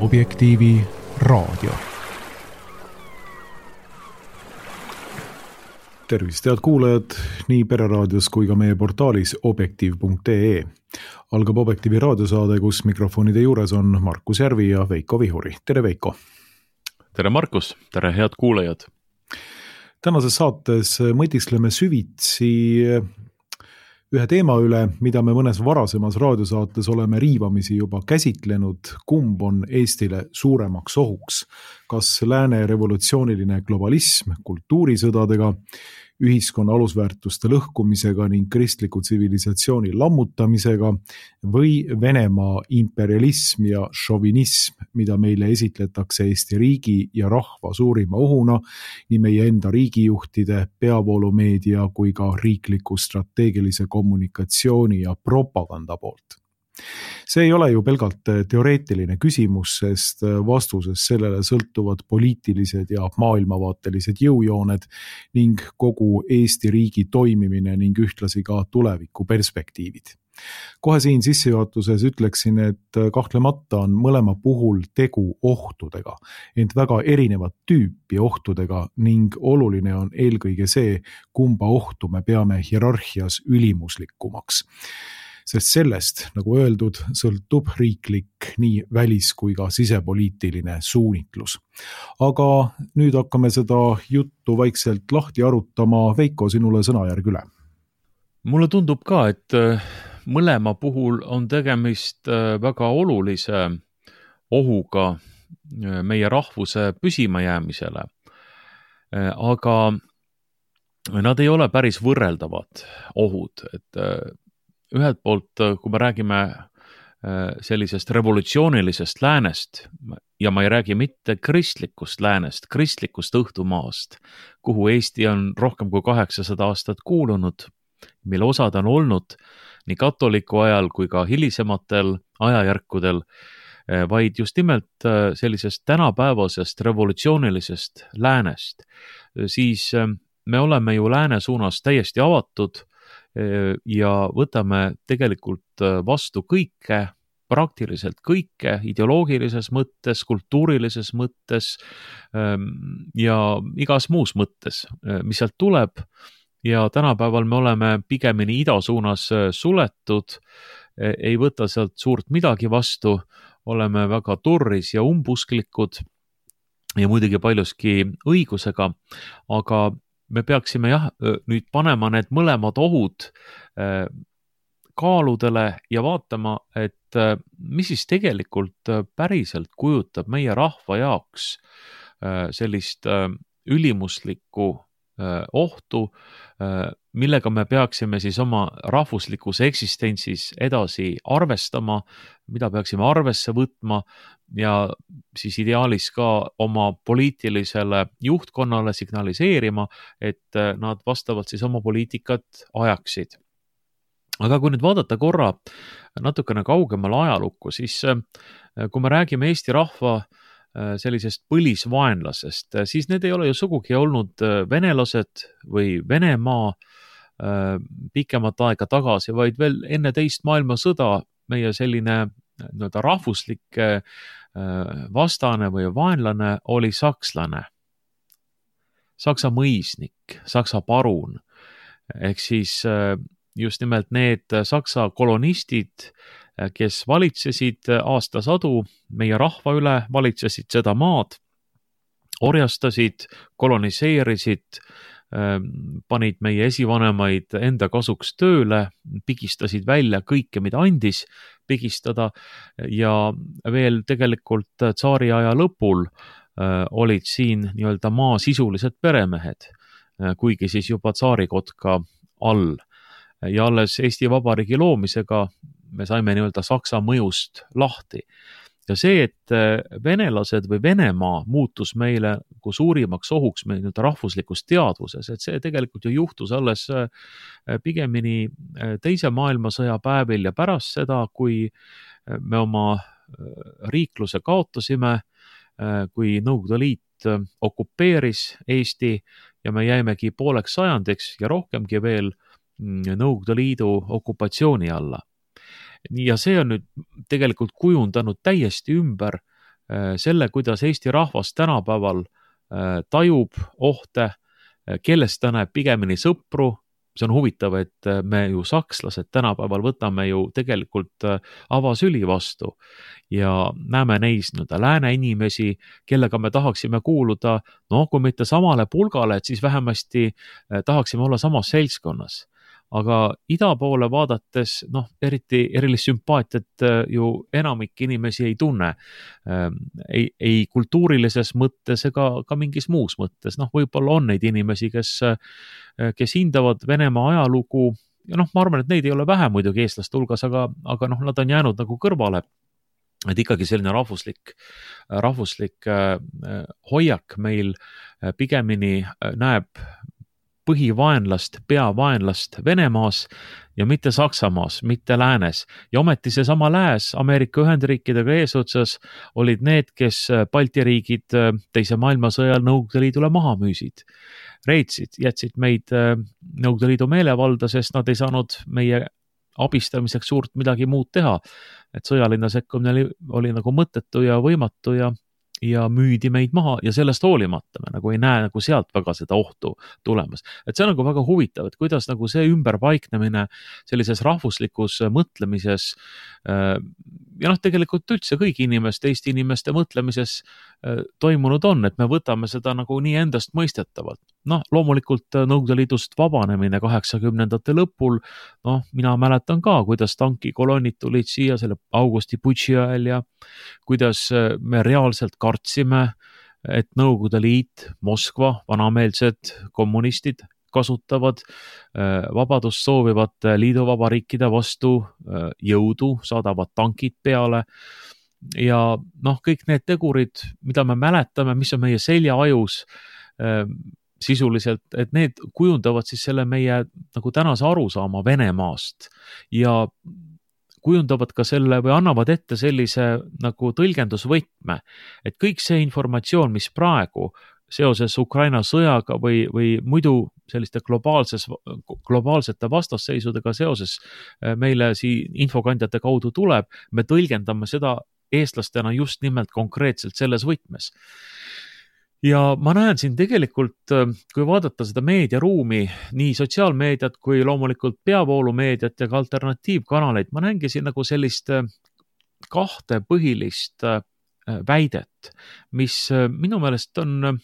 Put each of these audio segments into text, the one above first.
Objektiivi raadio. Tervist, head kuulajad nii Pereraadios kui ka meie portaalis objektiiv.ee. Algab Objektiivi raadiosaade, kus mikrofonide juures on Markus Järvi ja Veiko Vihuri. Tere Veiko! Tere Markus! Tere head kuulajad! Tänases saates mõtiskleme süvitsi ühe teema üle, mida me mõnes varasemas raadiosaates oleme riivamisi juba käsitlenud, kumb on Eestile suuremaks ohuks. Kas lääne revolutsiooniline globalism kultuurisõdadega, ühiskonna alusväärtuste lõhkumisega ning kristliku tsivilisatsiooni lammutamisega või Venemaa imperialism ja šovinism, mida meile esitletakse Eesti riigi ja rahva suurima ohuna nii meie enda riigijuhtide, peavoolumeedia kui ka riikliku strateegilise kommunikatsiooni ja propaganda poolt. See ei ole ju pelgalt teoreetiline küsimus, sest vastuses sellele sõltuvad poliitilised ja maailmavaatelised jõujooned ning kogu Eesti riigi toimimine ning ühtlasi ka tuleviku perspektiivid. Kohe siin sissejuhatuses ütleksin, et kahtlemata on mõlema puhul tegu ohtudega, ent väga erinevat tüüpi ohtudega ning oluline on eelkõige see, kumba ohtu me peame hierarhias ülimuslikumaks. Sest sellest, nagu öeldud, sõltub riiklik nii välis- kui ka sisepoliitiline suunitlus. Aga nüüd hakkame seda juttu vaikselt lahti arutama. Veiko, sinule sõnajärg üle. Mulle tundub ka, et mõlema puhul on tegemist väga olulise ohuga meie rahvuse püsimajäämisele. Aga nad ei ole päris võrreldavad ohud, et ühelt poolt, kui me räägime sellisest revolutsioonilisest läänest, ja ma ei räägi mitte kristlikust läänest, kristlikust õhtumaast, kuhu Eesti on rohkem kui 800 aastat kuulunud, mille osad on olnud nii katoliku ajal kui ka hilisematel ajajärkudel, vaid just nimelt sellisest tänapäevasest revolutsioonilisest läänest, siis me oleme ju lääne suunas täiesti avatud ja võtame tegelikult vastu kõike, praktiliselt kõike, ideoloogilises mõttes, kultuurilises mõttes ja igas muus mõttes, mis sealt tuleb. Ja tänapäeval me oleme pigemini ida suunas suletud, ei võta sealt suurt midagi vastu, oleme väga turris ja umbusklikud ja muidugi paljuski õigusega, aga me peaksime nüüd panema need mõlemad ohud kaaludele ja vaatama, et mis siis tegelikult päriselt kujutab meie rahva jaoks sellist ülimuslikku ohtu, millega me peaksime siis oma rahvuslikus eksistentsis edasi arvestama, mida peaksime arvesse võtma ja siis ideaalis ka oma poliitilisele juhtkonnale signaliseerima, et nad vastavalt siis oma poliitikat ajaksid. Aga kui nüüd vaadata korra natukene kaugemale ajalukku, siis kui me räägime Eesti rahva sellisest põlisvaenlasest, siis need ei ole ju sugugi olnud venelased või Venemaa pikemat aega tagasi, vaid veel enne teist maailmasõda meie selline rahvuslik vastane või vaenlane oli sakslane, saksa mõisnik, saksa parun, ehk siis just nimelt need saksa kolonistid, kes valitsesid aastasadu meie rahva üle, valitsesid seda maad, orjastasid, koloniseerisid, panid meie esivanemaid enda kasuks tööle, pigistasid välja kõike, mida andis pigistada ja veel tegelikult tsaari aja lõpul olid siin nii-öelda maa sisulised peremehed, kuigi siis juba tsaarikotka all. Ja alles Eesti Vabariigi loomisega me saime nii-öelda Saksa mõjust lahti. Ja see, et venelased või Venemaa muutus meile kui suurimaks ohuks meie nii-öelda rahvuslikus teadvuses, et see tegelikult ju juhtus alles pigemini teise maailmasõja päevil ja pärast seda, kui me oma riikluse kaotasime, kui Nõukogude Liit okupeeris Eesti ja me jäimegi pooleks sajandiks ja rohkemgi veel Nõukogude Liidu okupatsiooni alla. Ja see on nüüd tegelikult kujundanud täiesti ümber selle, kuidas Eesti rahvas tänapäeval tajub ohte, kellest ta näeb pigemini sõpru. See on huvitav, et me ju sakslased tänapäeval võtame ju tegelikult avasüli vastu ja näeme neis lääne inimesi, kellega me tahaksime kuuluda, kui mitte samale pulgale, et siis vähemasti tahaksime olla samas seltskonnas. Aga ida poole vaadates, erilist sümpaatiat ju enamik inimesi ei tunne. Ei kultuurilises mõttes ega ka mingis muus mõttes. Võib-olla on neid inimesi, kes hindavad Venemaa ajalugu ja ma arvan, et neid ei ole vähe muidugi eestlaste hulgas, aga nad on jäänud nagu kõrvale. Et ikkagi selline rahvuslik hoiak meil pigemini näeb põhivaenlast, peavaenlast Venemaas ja mitte Saksamaas, mitte läänes. Ja ometi seesama lääs Ameerika Ühendriikidega eesotsas olid need, kes Balti riigid teise maailmasõjal Nõukogude Liidule maha müüsid. Reetsid, jätsid meid Nõukogude Liidu meelevalda, sest nad ei saanud meie abistamiseks suurt midagi muud teha. Et sõjaline sekkumine oli nagu mõttetu ja võimatu ja müüdi meid maha ja sellest hoolimata me nagu ei näe nagu sealt väga seda ohtu tulemas. Et see on nagu väga huvitav, et kuidas nagu see ümberpaiknemine sellises rahvuslikus mõtlemises ja tegelikult üldse kõigi inimeste, Eesti inimeste mõtlemises toimunud on, et me võtame seda nagu nii endast mõistetavalt. Loomulikult Nõukogude Liidust vabanemine 80ndate lõpul, mina mäletan ka, kuidas tankikolonnid tulid siia selle augusti putši ajal ja kuidas me reaalselt kartsime, et Nõukogude Liit, Moskva, vanameelsed kommunistid kasutavad vabadust soovivate liiduvabariikide vastu jõudu, saadavad tankid peale ja kõik need tegurid, mida me mäletame, mis on meie seljaajus sisuliselt, et need kujundavad siis selle meie nagu tänase arusaama Venemaast ja kujundavad ka selle või annavad ette sellise nagu tõlgendusvõtme, et kõik see informatsioon, mis praegu seoses Ukraina sõjaga või muidu selliste globaalsete vastasseisudega seoses meile siin infokandjate kaudu tuleb, me tõlgendame seda eestlastena just nimelt konkreetselt selles võtmes. Ja ma näen siin tegelikult, kui vaadata seda meediaruumi, nii sotsiaalmeediat kui loomulikult peavoolumeediat ja ka alternatiivkanaleid, ma näengi siin nagu sellist kahte põhilist väidet, mis minu meelest on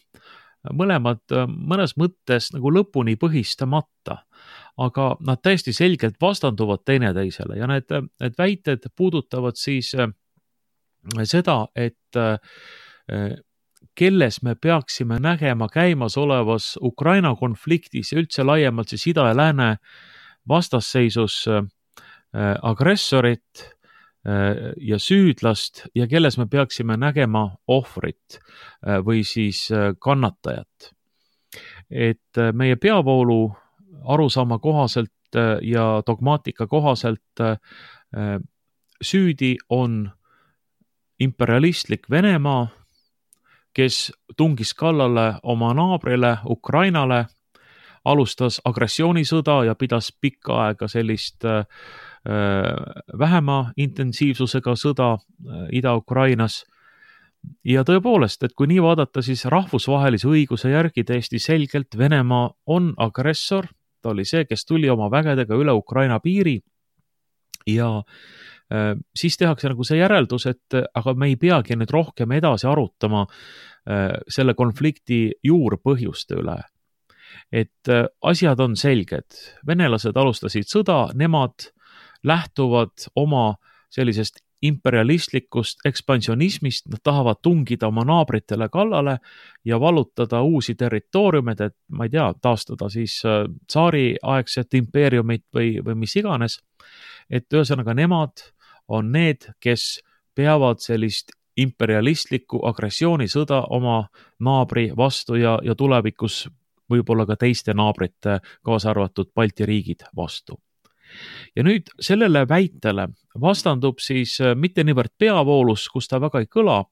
mõlemad mõnes mõttes nagu lõpuni põhistamata, aga nad täiesti selgelt vastanduvad teineteisele ja need väited puudutavad siis seda, et kelles me peaksime nägema käimasolevas Ukraina konfliktis ja üldse laiemalt siis ida ja lääne vastasseisus agressorit ja süüdlast ja kelles me peaksime nägema ohvrit või siis kannatajat. Et meie peavoolu arusaama kohaselt ja dogmaatika kohaselt süüdi on imperialistlik Venemaa, kes tungis kallale oma naabrile Ukrainale, alustas agressioonisõda ja pidas pikka aega sellist vähema intensiivsusega sõda Ida-Ukrainas. Ja tõepoolest, et kui nii vaadata, siis rahvusvahelise õiguse järgi täiesti selgelt Venemaa on agressor, ta oli see, kes tuli oma vägedega üle Ukraina piiri ja siis tehakse nagu see järeldus, et aga me ei peagi nüüd rohkem edasi arutama selle konflikti juurpõhjuste üle. Et asjad on selged. Venelased alustasid sõda, nemad lähtuvad oma sellisest imperialistlikust ekspansionismist, nad tahavad tungida oma naabritele kallale ja vallutada uusi territooriumeid, et ma ei tea, taastada siis tsaariaegset impeeriumit või mis iganes. Et ühesõnaga nemad on need, kes peavad sellist imperialistlikku agressioonisõda oma naabri vastu ja tulevikus võib-olla ka teiste naabrite, kaasa arvatud Balti riigid vastu. Ja nüüd sellele väitele vastandub siis mitte niivõrd peavoolus, kus ta väga ei kõla,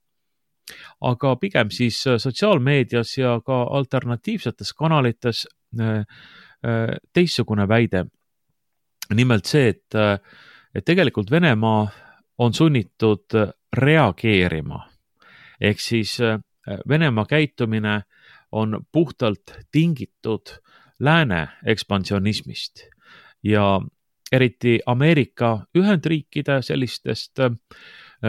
aga pigem siis sotsiaalmeedias ja ka alternatiivsetes kanalites teistsugune väide. Nimelt see, et tegelikult Venemaa on sunnitud reageerima ehk siis Venemaa käitumine on puhtalt tingitud lääne ekspansionismist ja eriti Ameerika Ühendriikide sellistest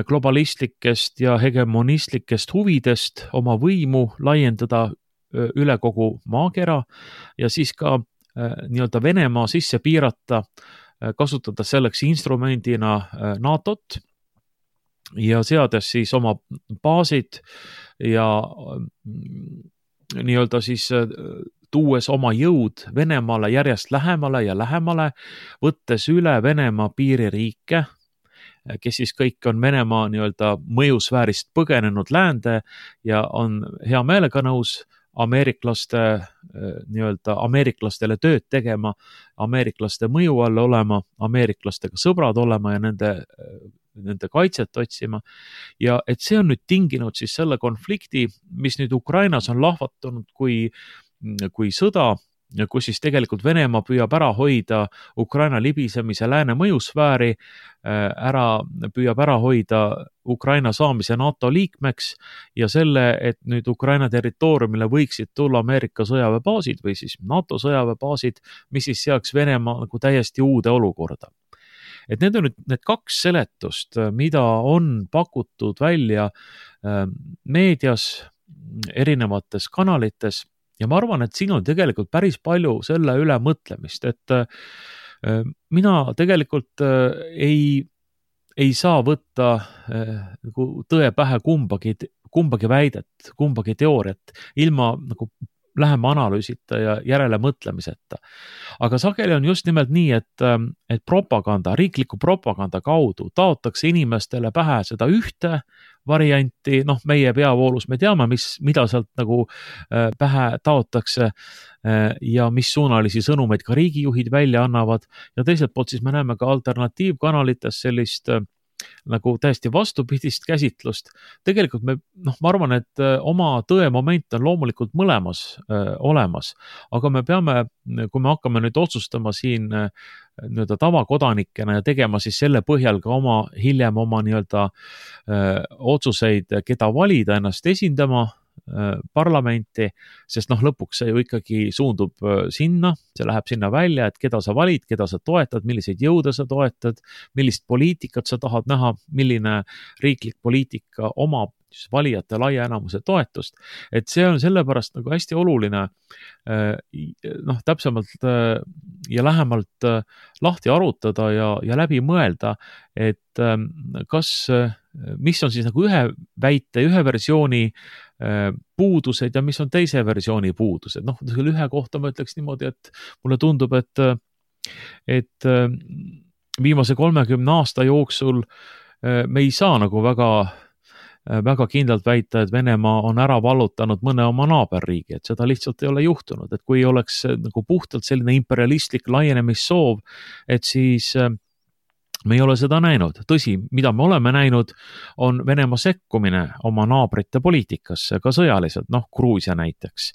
globalistlikest ja hegemonistlikest huvidest oma võimu laiendada üle kogu maakera ja siis ka nii-öelda Venemaa sisse piirata, kasutada selleks instrumendina NATO-t ja seades siis oma baasid ja nii-öelda siis tuues oma jõud Venemaale järjest lähemale ja lähemale, võttes üle Venemaa piiririike, kes siis kõik on Venemaa nii-öelda mõjusfäärist põgenenud läände ja on hea meelega nõus ameeriklastele tööd tegema, ameeriklaste mõju all olema, ameeriklastega sõbrad olema ja nende kaitset otsima. Ja et see on nüüd tinginud siis selle konflikti, mis nüüd Ukrainas on lahvatunud kui sõda, kus siis tegelikult Venemaa püüab ära hoida Ukraina libisemise lääne mõjusfääri, püüab ära hoida Ukraina saamise NATO liikmeks ja selle, et nüüd Ukraina territooriumile võiksid tulla Ameerika sõjaväebaasid või siis NATO sõjaväebaasid, mis siis seaks Venemaa nagu täiesti uude olukorda. Et need on nüüd need kaks seletust, mida on pakutud välja meedias, erinevates kanalites ja ma arvan, et siin on tegelikult päris palju selle üle mõtlemist, et mina tegelikult ei saa võtta nagu tõe pähe kumbagi väidet, kumbagi teooriat ilma nagu lähema analüüsita ja järele mõtlemiseta. Aga sageli on just nimelt nii, et propaganda, riikliku propaganda kaudu taotakse inimestele pähe seda ühte varianti, meie peavoolus me teame, mida sealt nagu pähe taotakse ja mis suunalisi sõnumeid ka riigijuhid välja annavad ja teiselt poolt siis me näeme ka alternatiivkanalites sellist nagu täiesti vastupidist käsitlust. Tegelikult ma arvan, et oma tõemoment on loomulikult mõlemas olemas, aga me peame, kui me hakkame nüüd otsustama siin nii-öelda tavakodanikena ja tegema siis selle põhjal ka hiljem oma nii-öelda otsuseid, keda valida ennast esindama parlamenti, sest lõpuks see ju ikkagi suundub sinna, see läheb sinna välja, et keda sa valid, keda sa toetad, milliseid jõude sa toetad, millist poliitikat sa tahad näha, milline riiklik poliitika omab valijate laia enamuse toetust, et see on sellepärast nagu hästi oluline täpsemalt ja lähemalt lahti arutada ja läbi mõelda, et mis on siis nagu ühe väite, ühe versiooni puudused ja mis on teise versiooni puudused. Ühe kohta ma ütleks niimoodi, et mulle tundub, et viimase 30 aasta jooksul me ei saa nagu väga kindlalt väita, et Venemaa on ära vallutanud mõne oma naaberriigi, et seda lihtsalt ei ole juhtunud, et kui oleks nagu puhtalt selline imperialistlik laienemissoov, et siis me ei ole seda näinud. Tõsi, mida me oleme näinud, on Venemaa sekkumine oma naabrite poliitikasse, ka sõjaliselt, Gruusia näiteks.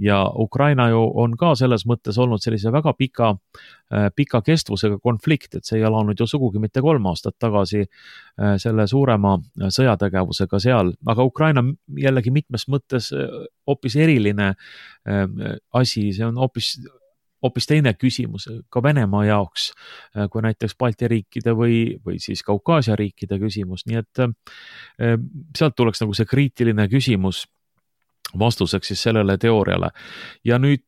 Ja Ukraina ju on ka selles mõttes olnud sellise väga pika kestvusega konflikt, et see ei alanud ju sugugi mitte 3 aastat tagasi selle suurema sõjategevusega seal, aga Ukraina jällegi mitmes mõttes hoopis eriline asi, see on hoopis teine küsimus ka Venemaa jaoks, kui näiteks Balti riikide või siis Kaukaasia riikide küsimus, nii et sealt tuleks nagu see kriitiline küsimus vastuseks siis sellele teooriale. Ja nüüd,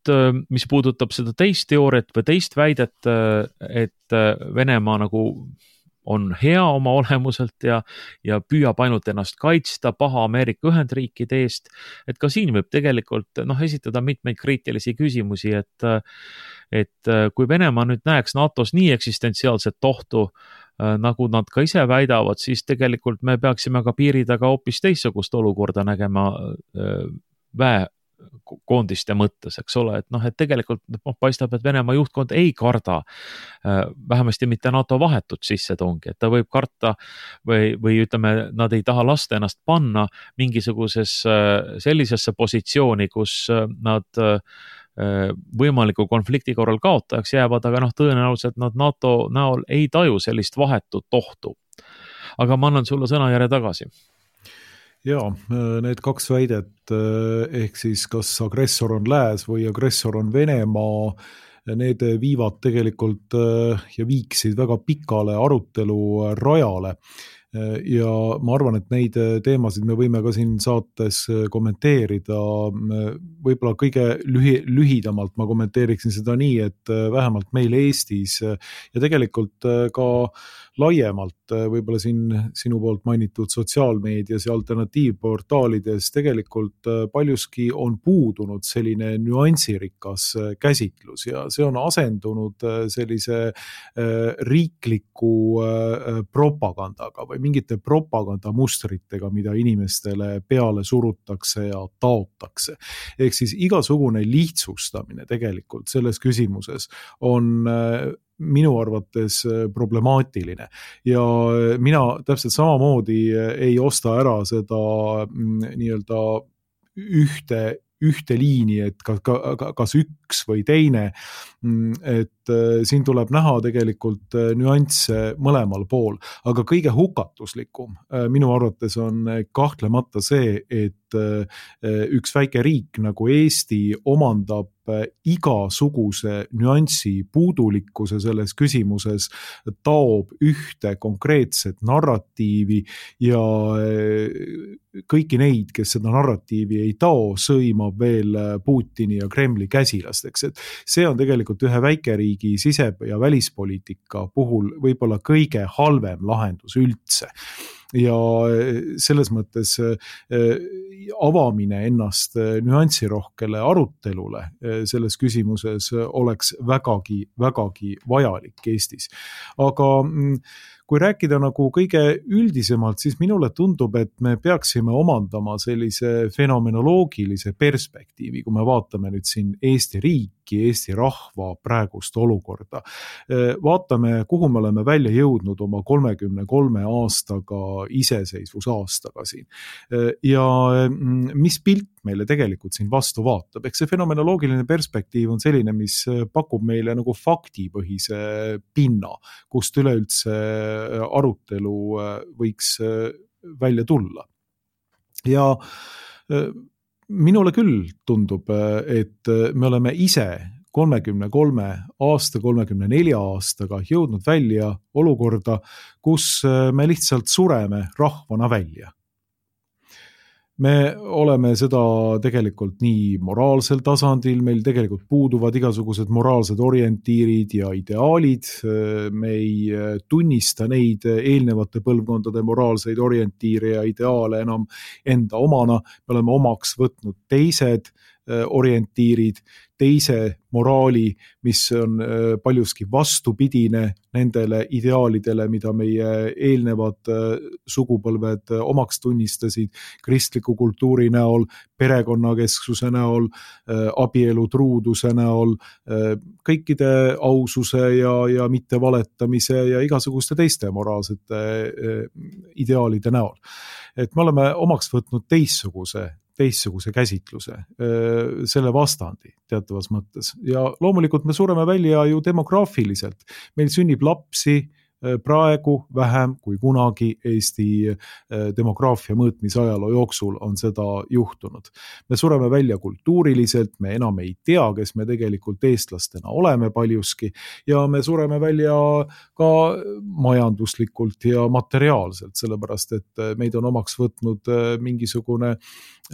mis puudutab seda teist teooriat või teist väidet, et Venemaa nagu on hea oma olemuselt ja püüab ainult ennast kaitsta paha Ameerika Ühendriikide eest, et ka siin võib tegelikult esitada mitmeid kriitilisi küsimusi, et kui Venemaa nüüd näeks NATOs nii eksistentsiaalset ohtu, nagu nad ka ise väidavad, siis tegelikult me peaksime ka piiri taga hoopis teistsugust olukorda nägema väekoondiste mõttes, eks ole, et tegelikult paistab, et Venemaa juhtkond ei karda vähemasti mitte NATO vahetut sissetungi, et ta võib karta või ütleme, nad ei taha lasta ennast panna sellisesse positsiooni, kus nad võimaliku konflikti korral kaotajaks jäävad, aga tõenäoliselt nad NATO näol ei taju sellist vahetut ohtu. Aga ma annan sulle sõnajärje tagasi. Jaa, need kaks väidet, ehk siis kas agressor on lääs või agressor on Venemaa, need viivad tegelikult ja viiksid väga pikale arutelu rajale. Ja ma arvan, et neid teemasid me võime ka siin saates kommenteerida. Võib-olla kõige lühidamalt ma kommenteeriksin seda nii, et vähemalt meil Eestis ja tegelikult ka laiemalt võib-olla siin sinu poolt mainitud sotsiaalmeedias ja alternatiivportaalides tegelikult paljuski on puudunud selline nüansirikas käsitlus ja see on asendunud sellise riikliku propagandaga või mingite propagandamustritega, mida inimestele peale surutakse ja taotakse. Ehk siis igasugune lihtsustamine tegelikult selles küsimuses on minu arvates problemaatiline ja mina täpselt samamoodi ei osta ära seda nii-öelda ühte liini, et kas üks või teine, et siin tuleb näha tegelikult nüansse mõlemal pool, aga kõige hukatuslikum minu arvates on kahtlemata see, et üks väike riik nagu Eesti omandab igasuguse nüansi puudulikkuse selles küsimuses, taob ühte konkreetset narratiivi ja kõiki neid, kes seda narratiivi ei tao, sõimab veel Putini ja Kremli käsilasteks. Et see on tegelikult ühe väikeriigi sise- ja välispoliitika puhul võib-olla kõige halvem lahendus üldse. Ja selles mõttes avamine ennast nüansirohkele arutelule selles küsimuses oleks vägagi vajalik Eestis. Aga kui rääkida nagu kõige üldisemalt, siis minule tundub, et me peaksime omandama sellise fenomenoloogilise perspektiivi, kui me vaatame nüüd siin Eesti riiki, Eesti rahva praegust olukorda. Vaatame, kuhu me oleme välja jõudnud oma 33 aastaga iseseisvusaastaga siin. Ja mis pilt meile tegelikult siin vastu vaatab. Eks see fenomenoloogiline perspektiiv on selline, mis pakub meile nagu faktipõhise pinna, kust üleüldse arutelu võiks välja tulla. Ja minule küll tundub, et me oleme ise 33 aasta, 34 aastaga jõudnud välja olukorda, kus me lihtsalt sureme rahvana välja. Me oleme seda tegelikult nii moraalsel tasandil, meil tegelikult puuduvad igasugused moraalsed orientiirid ja ideaalid, me ei tunnista neid eelnevate põlvkondade moraalseid orientiire ja ideaale enam enda omana, me oleme omaks võtnud teised orientiirid, teise moraali, mis on paljuski vastupidine nendele ideaalidele, mida meie eelnevad sugupõlved omaks tunnistasid kristliku kultuuri näol, perekonnakesksuse näol, abielu truuduse näol, kõikide aususe ja mittevaletamise ja igasuguste teiste moraalsete ideaalide näol. Et me oleme omaks võtnud teistsuguse käsitluse, selle vastandi teatavas mõttes. Ja loomulikult me sureme välja ju demograafiliselt. Meil sünnib lapsi praegu vähem kui kunagi Eesti demograafia mõõtmise ajaloo jooksul on seda juhtunud. Me sureme välja kultuuriliselt, me enam ei tea, kes me tegelikult eestlastena oleme paljuski ja me sureme välja ka majanduslikult ja materiaalselt, sellepärast et meid on omaks võtnud mingisugune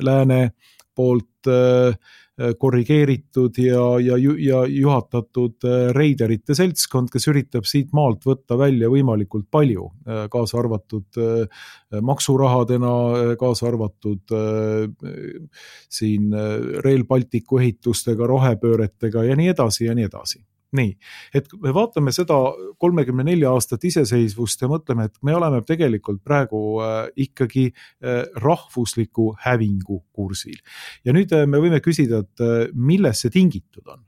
lääne poolt korrigeeritud ja juhatatud reiderite seltskond, kes üritab siit maalt võtta välja võimalikult palju, kaasa arvatud maksurahadena, kaasa arvatud siin Rail Balticu ehitustega, rohepööretega ja nii edasi ja nii edasi. Nii, et me vaatame seda 34 aastat iseseisvust ja mõtleme, et me oleme tegelikult praegu ikkagi rahvusliku hävingu kursil. Ja nüüd me võime küsida, et milles see tingitud on?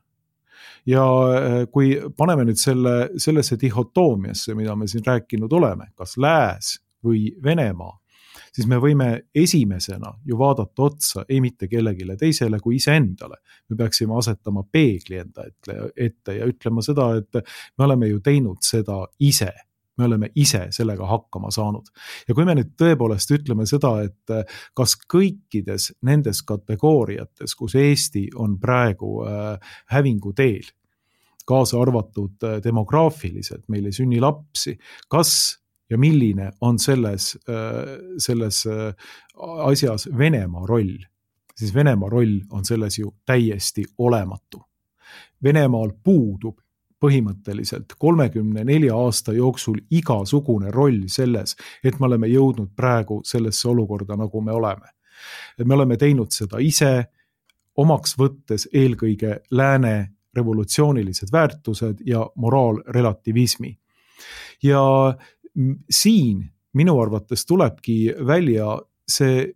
Ja kui paneme nüüd sellesse dihotoomiasse, mida me siin rääkinud oleme, kas lääs või Venemaa, siis me võime esimesena ju vaadata otsa ei mitte kellegile teisele kui iseendale. Me peaksime asetama peegli enda ette ja ütlema seda, et me oleme ju teinud seda ise. me oleme ise sellega hakkama saanud. Ja kui me nüüd tõepoolest ütleme seda, et kas kõikides nendes kategooriates, kus Eesti on praegu hävingu teel, kaasa arvatud demograafiliselt, meil ei sünni lapsi, kas ja milline on selles asjas Venemaa roll, siis Venemaa roll on selles ju täiesti olematu. Venemaal puudub põhimõtteliselt 34 aasta jooksul igasugune roll selles, et me oleme jõudnud praegu sellesse olukorda, nagu me oleme. Me oleme teinud seda ise, omaks võttes eelkõige lääne revolutsioonilised väärtused ja moraalrelativismi. Ja siin minu arvates tulebki välja see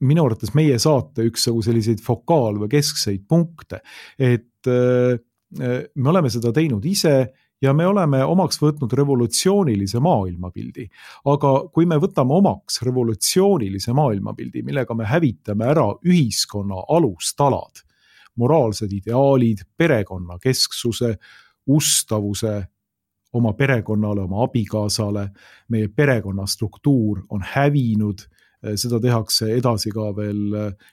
minu arvates meie saate üks selliseid fokaal- või keskseid punkte, et me oleme seda teinud ise ja me oleme omaks võtnud revolutsioonilise maailmapildi. Aga kui me võtame omaks revolutsioonilise maailmapildi, millega me hävitame ära ühiskonna alustalad, moraalsed ideaalid, perekonna kesksuse, ustavuse oma perekonnale, oma abikaasale, meie perekonna struktuur on hävinud, seda tehakse edasi ka veel,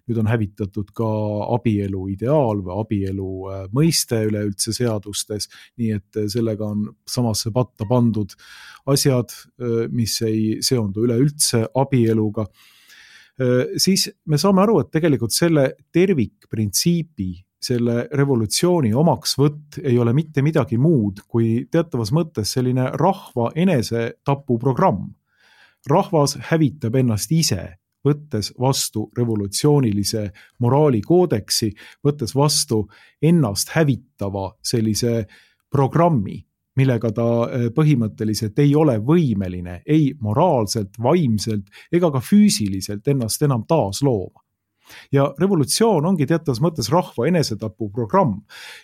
nüüd on hävitatud ka abielu ideaal või abielu mõiste üleüldse seadustes, nii et sellega on samasse patta pandud asjad, mis ei seondu üleüldse abieluga. Siis me saame aru, et tegelikult selle tervikprintsiibi, selle revolutsiooni omaksvõtt ei ole mitte midagi muud kui teatavas mõttes selline rahva enesetapuprogramm. Rahvas hävitab ennast ise, võttes vastu revolutsioonilise moraalikoodeksi, võttes vastu ennast hävitava sellise programmi, millega ta põhimõtteliselt ei ole võimeline ei moraalselt, vaimselt ega ka füüsiliselt ennast enam taaslooma. Ja revolutsioon ongi teatavas mõttes rahva enesetapu programm.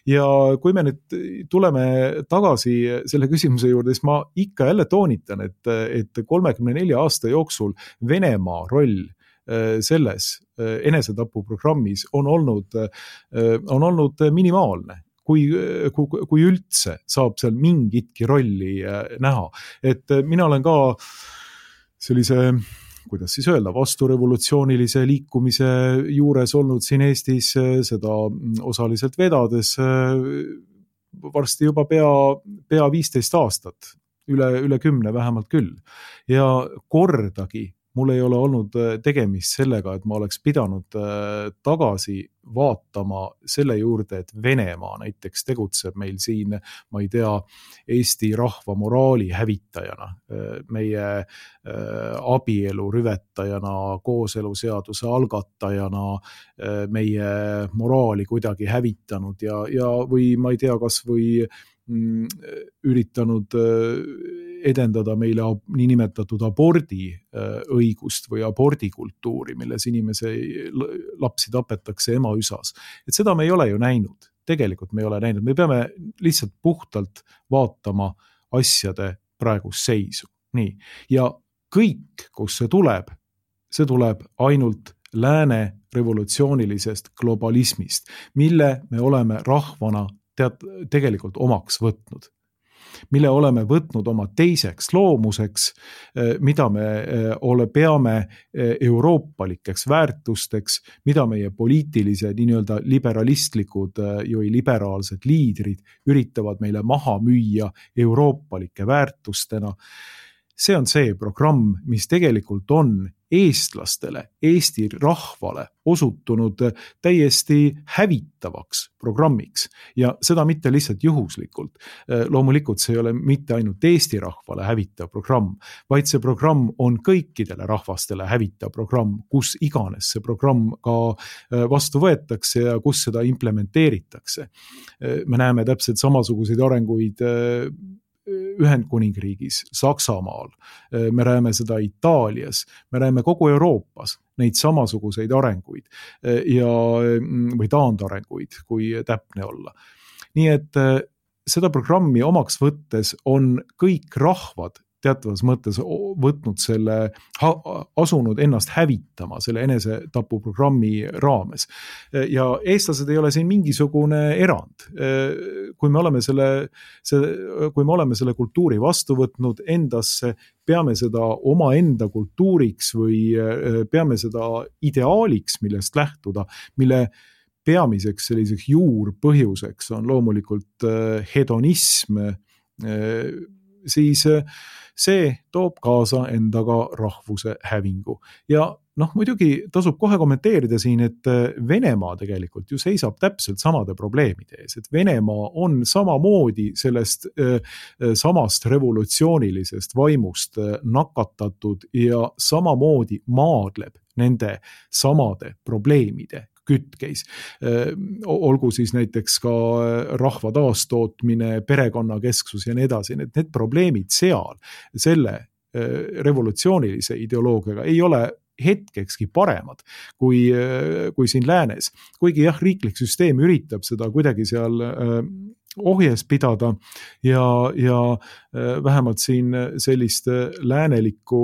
Ja kui me nüüd tuleme tagasi selle küsimuse juurde, siis ma ikka jälle toonitan, et 34 aasta jooksul Venemaa roll selles enesetapu programmis on olnud minimaalne. Kui üldse saab seal mingitki rolli näha. Et mina olen ka sellise, kuidas siis öelda, vasturevolutsioonilise liikumise juures olnud siin Eestis, seda osaliselt vedades varsti juba pea 15 aastat, üle 10 vähemalt küll. Ja kordagi mul ei ole olnud tegemist sellega, et ma oleks pidanud tagasi vaatama selle juurde, et Venemaa näiteks tegutseb meil siin, ma ei tea, Eesti rahva moraali hävitajana, meie abielu rüvetajana, kooseluseaduse algatajana, meie moraali kuidagi hävitanud ja või ma ei tea, kas või üritanud edendada meile niinimetatud abordi õigust või abordikultuuri, milles lapsi tapetakse emaüsas. Et seda me ei ole ju näinud. Tegelikult me ei ole näinud. Me peame lihtsalt puhtalt vaatama asjade praegust seisu. Nii. Ja kõik, kus see tuleb ainult lääne revolutsioonilisest globalismist, mille me oleme rahvana tegelikult omaks võtnud, mille oleme võtnud oma teiseks loomuseks, mida me peame euroopalikeks väärtusteks, mida meie poliitilised nii-öelda liberalistlikud või liberaalsed liidrid üritavad meile maha müüa euroopalike väärtustena. See on see programm, mis tegelikult on eestlastele, Eesti rahvale osutunud täiesti hävitavaks programmiks ja seda mitte lihtsalt juhuslikult. Loomulikult see ei ole mitte ainult Eesti rahvale hävitav programm, vaid see programm on kõikidele rahvastele hävitav programm, kus iganes see programm ka vastu võetakse ja kus seda implementeeritakse. Me näeme täpselt samasuguseid arenguid Ühendkuningriigis, Saksamaal, me näeme seda Itaalias, me näeme kogu Euroopas neid samasuguseid arenguid või taandarenguid, kui täpne olla. Nii et seda programmi omaks võttes on kõik rahvad teatavas mõttes võtnud asunud ennast hävitama selle enesetapuprogrammi raames. Ja eestlased ei ole siin mingisugune erand. Kui me oleme selle kultuuri vastu võtnud endasse, peame seda oma enda kultuuriks või peame seda ideaaliks, millest lähtuda, mille peamiseks selliseks juurpõhjuseks on loomulikult hedonism, siis see toob kaasa endaga rahvuse hävingu. Ja muidugi tasub kohe kommenteerida siin, et Venemaa tegelikult ju seisab täpselt samade probleemide ees, et Venemaa on samamoodi sellest samast revolutsioonilisest vaimust nakatatud ja samamoodi maadleb nende samade probleemide kütkeis. Olgu siis näiteks ka rahva taastootmine, perekonnakesksus ja nii edasi. Need probleemid seal selle revolutsioonilise ideoloogiaga ei ole hetkekski paremad kui siin läänes. Kuigi jah, riiklik süsteem üritab seda kuidagi seal ohjes pidada ja vähemalt siin sellist läänelikku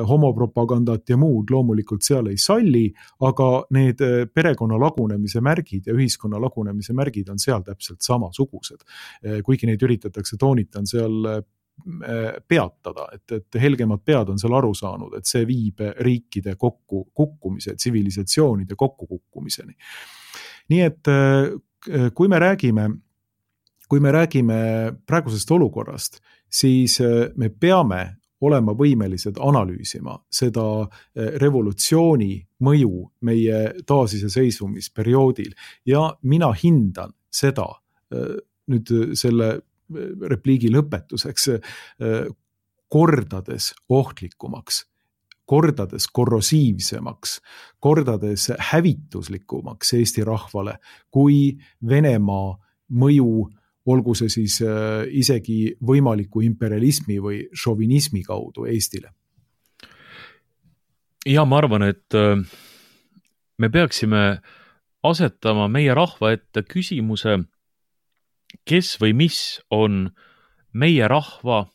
homopropagandat ja muud loomulikult seal ei salli, aga need perekonna lagunemise märgid ja ühiskonna lagunemise märgid on seal täpselt samasugused. Kuigi neid üritatakse toonitan seal peatada, et helgemad pead on seal aru saanud, et see viib riikide kukkumise, tsivilisatsioonide kokkukukkumiseni. Nii et kui me räägime praegusest olukorrast, siis me peame olema võimelised analüüsima seda revolutsiooni mõju meie taasiseseisvumisperioodil ja mina hindan seda nüüd selle repliigi lõpetuseks kordades ohtlikumaks, kordades korrosiivsemaks, kordades hävituslikumaks Eesti rahvale kui Venemaa mõju, olgu see siis isegi võimaliku imperialismi või šovinismi kaudu Eestile. Ja ma arvan, et me peaksime asetama meie rahva ette küsimuse, kes või mis on meie rahva,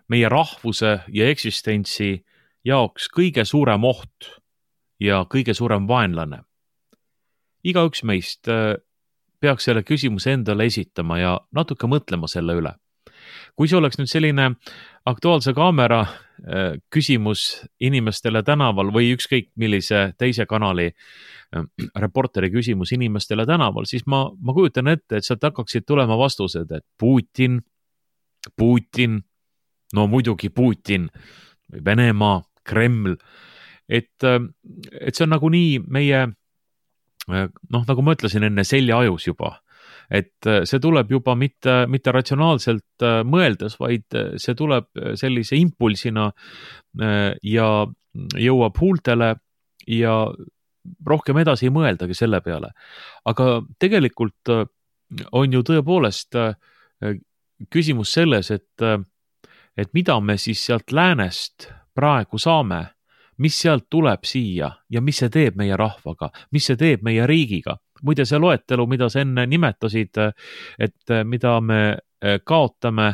meie rahvuse ja eksistentsi jaoks kõige suurem oht ja kõige suurem vaenlane. Igaüks meist peaks selle küsimuse endale esitama ja natuke mõtlema selle üle. Kui see oleks nüüd selline Aktuaalse Kaamera küsimus inimestele tänaval või ükskõik millise teise kanali reporteri küsimus inimestele tänaval, siis ma kujutan ette, et sealt hakkaksid tulema vastused, et Putin, no muidugi Putin, Venemaa, Kreml, et see on nagu nii meie, nagu ma ütlesin enne, seljaajus juba. Et see tuleb juba mitte ratsionaalselt mõeldes, vaid see tuleb sellise impulsina ja jõuab huultele ja rohkem edasi ei mõeldagi selle peale. Aga tegelikult on ju tõepoolest küsimus selles, et mida me siis sealt läänest praegu saame, mis sealt tuleb siia ja mis see teeb meie rahvaga, mis see teeb meie riigiga. Muide see loetelu, mida sa enne nimetasid, et mida me kaotame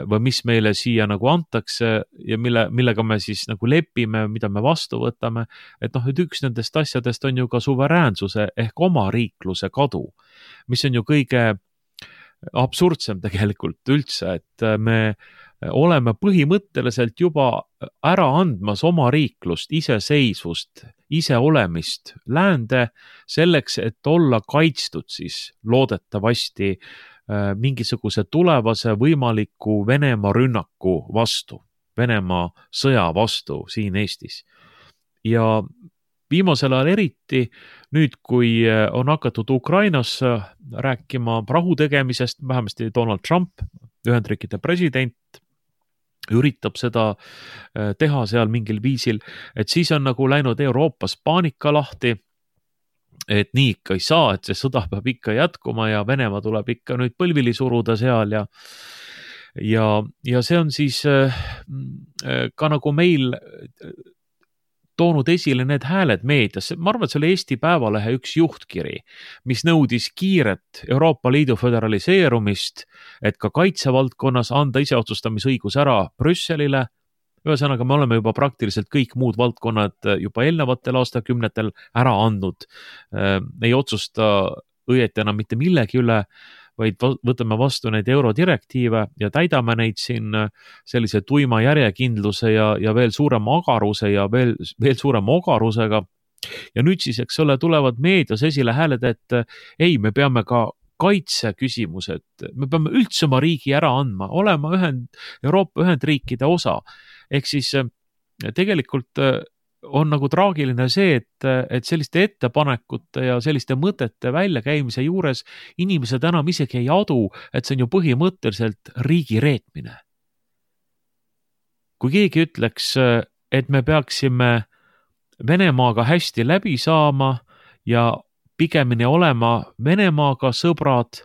või mis meile siia nagu antakse ja millega me siis nagu lepime, mida me vastu võtame, et üks nendest asjadest on ju ka suveräänsuse ehk oma riikluse kadu, mis on ju kõige absurdsem tegelikult üldse, et me oleme põhimõtteliselt juba ära andmas oma riiklust, iseseisvust, iseolemist läände selleks, et olla kaitstud siis loodetavasti mingisuguse tulevase võimaliku Venemaa rünnaku vastu, Venemaa sõja vastu siin Eestis. Ja viimasel ajal eriti, nüüd kui on hakatud Ukrainas rääkima rahu tegemisest, vähemasti Donald Trump, Ühendriikide president, üritab seda teha seal mingil viisil, et siis on nagu läinud Euroopas paanika lahti, et nii ikka ei saa, et see sõda peab ikka jätkuma ja Venemaa tuleb ikka nüüd põlvili suruda seal ja see on siis ka nagu meil toonud esile need hääled meedias. Ma arvan, et see oli Eesti Päevalehe üks juhtkiri, mis nõudis kiiret Euroopa Liidu föderaliseerumist, et ka kaitsevaldkonnas anda iseotsustamisõigus ära Brüsselile. Ühesõnaga, me oleme juba praktiliselt kõik muud valdkonnad juba eelnevatel aastakümnetel ära andnud. Ei otsusta õieti enam mitte millegi üle, vaid võtame vastu neid eurodirektiive ja täidame neid siin sellise tuima järjekindluse ja veel suurema agaruse ja veel suurema ogarusega. Ja nüüd siis, eks ole, tulevad meedias esile hääled, et ei, me peame ka kaitseküsimused, me peame üldse oma riigi ära andma, olema Euroopa Ühendriikide osa. Ehk siis tegelikult on nagu traagiline see, et selliste ettepanekute ja selliste mõtete väljakäimise juures inimesed enam isegi ei adu, et see on ju põhimõtteliselt riigi reetmine. Kui keegi ütleks, et me peaksime Venemaaga hästi läbi saama ja pigemini olema Venemaaga sõbrad,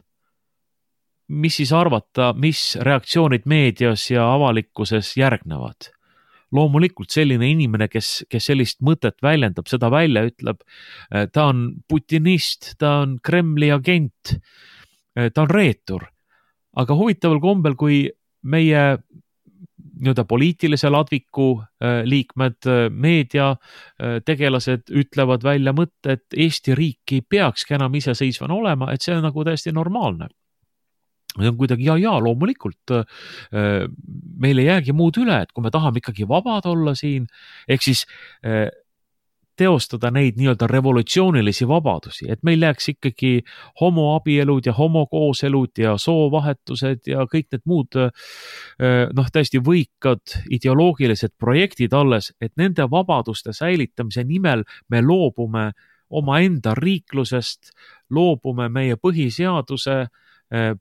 mis siis arvata, mis reaktsioonid meedias ja avalikkuses järgnevad? Loomulikult selline inimene, kes sellist mõtet väljendab, seda välja ütleb, ta on putinist, ta on Kremli agent, ta on reetur. Aga huvitaval kombel, kui meie poliitilise ladviku liikmed, meedia tegelased ütlevad välja mõtte, et Eesti riik ei peakski enam iseseisvana olema, et see on nagu täiesti normaalne. See on kuidagi, ja loomulikult meil ei jäägi muud üle, et kui me tahame ikkagi vabad olla siin, ehk siis teostada neid nii-öelda revolutsioonilisi vabadusi, et meil jääks ikkagi homoabielud ja homokooselud ja soovahetused ja kõik need muud täiesti võikad ideoloogilised projektid alles, et nende vabaduste säilitamise nimel me loobume omaenda riiklusest, loobume meie põhiseaduse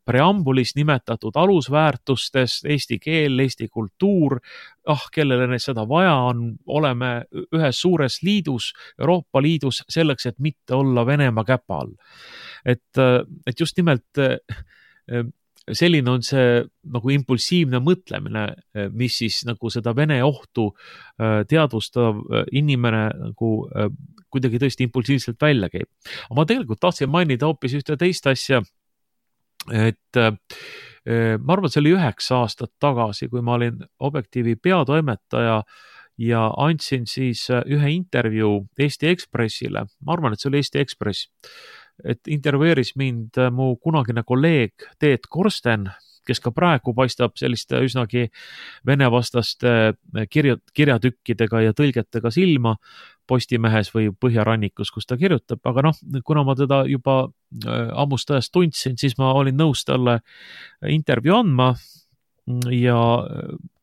preambulis nimetatud alusväärtustest, eesti keel, eesti kultuur, kellele seda vaja on, oleme ühes suures liidus, Euroopa Liidus, selleks, et mitte olla Venemaa käpa all. Et just nimelt selline on see nagu impulsiivne mõtlemine, mis siis nagu seda Vene ohtu teadvustav inimene nagu kuidagi tõesti impulsiivselt välja käib. Aga ma tegelikult tahtsin mainida hoopis ühte teist asja, et ma arvan, et see oli 9 aastat tagasi, kui ma olin Objektiivi peatoimetaja ja andsin siis ühe intervjuu Eesti Ekspressile. Ma arvan, et see oli Eesti Ekspress, et intervjueeris mind mu kunagine kolleeg Teet Korsten, kes ka praegu paistab selliste üsnagi venevastaste kirjatükkidega ja tõlgetega silma Postimehes või Põhjarannikus, kus ta kirjutab, aga kuna ma teda juba ammust ajast tundsin, siis ma olin nõus talle intervjuu andma ja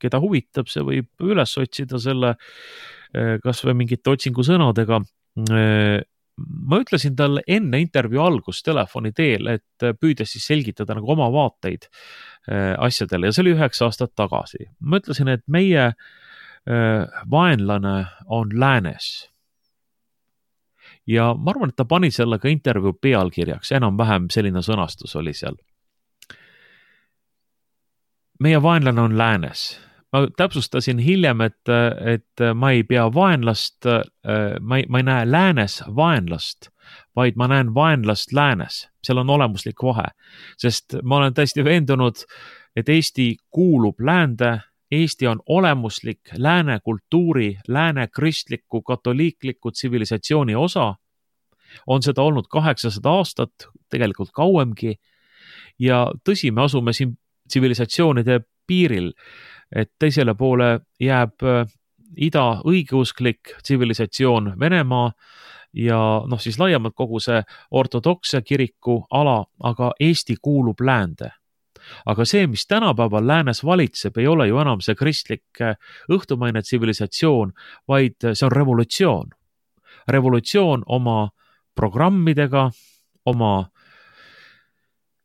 keda huvitab, see võib üles otsida selle kas või mingite otsingusõnadega. Ma ütlesin talle enne intervjuu algust telefoni teel, et püüdes siis selgitada nagu oma vaateid asjadele ja see oli 9 aastat tagasi. Ma ütlesin, et meie vaenlane on läänes. Ja ma arvan, et ta pani selle ka intervjuu pealkirjaks, enam-vähem selline sõnastus oli seal. Meie vaenlane on läänes. Ma täpsustasin hiljem, et ma ei pea vaenlast, ma ei näe läänes vaenlast, vaid ma näen vaenlast läänes. Seal on olemuslik vahe, sest ma olen täiesti veendunud, et Eesti kuulub läände, Eesti on olemuslik lääne kultuuri, lääne kristliku, katoliikliku tsivilisatsiooni osa, on seda olnud 800 aastat, tegelikult kauemgi, ja tõsi, me asume siin tsivilisatsioonide piiril, et teisele poole jääb ida õigeusklik tsivilisatsioon Venemaa ja siis laiemalt kogu see ortodokse kiriku ala, aga Eesti kuulub läände. Aga see, mis tänapäeval läänes valitseb, ei ole ju enam see kristlik õhtumaine tsivilisatsioon, vaid see on revolutsioon. Revolutsioon oma programmidega, oma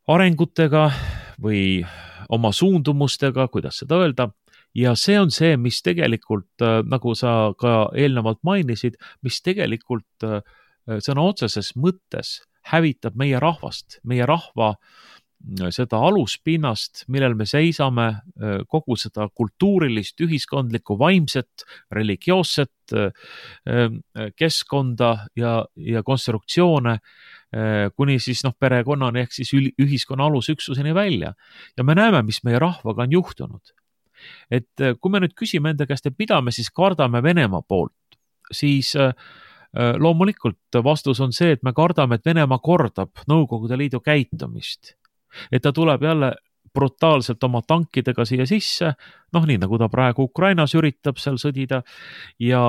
arengutega või oma suundumustega, kuidas seda öelda, ja see on see, mis tegelikult, nagu sa ka eelnevalt mainisid, mis tegelikult sõna otseses mõttes hävitab meie rahvast, meie rahva seda aluspinnast, millel me seisame, kogu seda kultuurilist, ühiskondlikku, vaimset, religioosset keskkonda ja konstruktsioone, kuni siis perekonnani ehk siis ühiskonna alusüksuseni välja. Ja me näeme, mis meie rahvaga on juhtunud. Et kui me nüüd küsime enda käest, et mida me siis kardame Venemaa poolt, siis loomulikult vastus on see, et me kardame, et Venemaa kordab Nõukogude Liidu käitumist. Et ta tuleb jälle brutaalselt oma tankidega siia sisse, nii nagu ta praegu Ukrainas üritab seal sõdida ja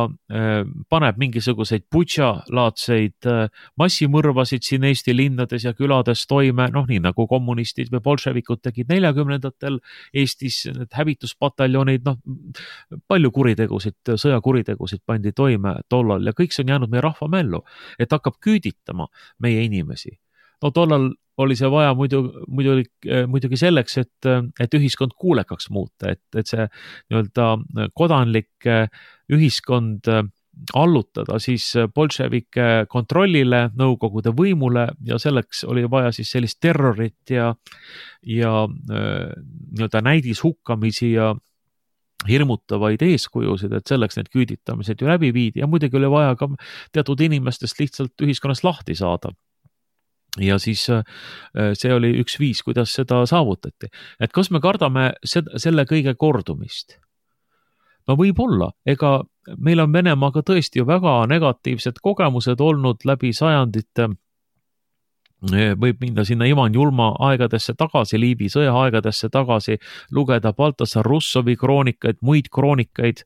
paneb mingisuguseid Butša-laadseid massimõrvasid siin Eesti linnades ja külades toime, nii nagu kommunistid või bolševikud tegid 40-ndatel Eestis, need hävituspataljonid, palju kuritegusid, sõjakuritegusid pandi toime tollal ja kõik see on jäänud meie rahva mällu, et hakkab küüditama meie inimesi. Tollal oli see vaja muidugi selleks, et ühiskond kuulekaks muuta, et see nii-öelda kodanlik ühiskond allutada siis bolševike kontrollile, Nõukogude võimule ja selleks oli vaja siis sellist terrorit ja nii-öelda näidishukkamisi ja hirmutavaid eeskujusid, et selleks need küüditamised ju läbi viidi ja muidugi oli vaja ka teatud inimestest lihtsalt ühiskonnast lahti saada. Ja siis see oli üks viis, kuidas seda saavutati. Et kas me kardame selle kõige kordumist? Võib-olla, ega meil on Venemaaga tõesti ju väga negatiivsed kogemused olnud läbi sajandite. Võib minna sinna Ivan Julma aegadesse tagasi, Liivi sõja aegadesse tagasi, lugeda Baltasar Russovi kroonikaid, muid kroonikaid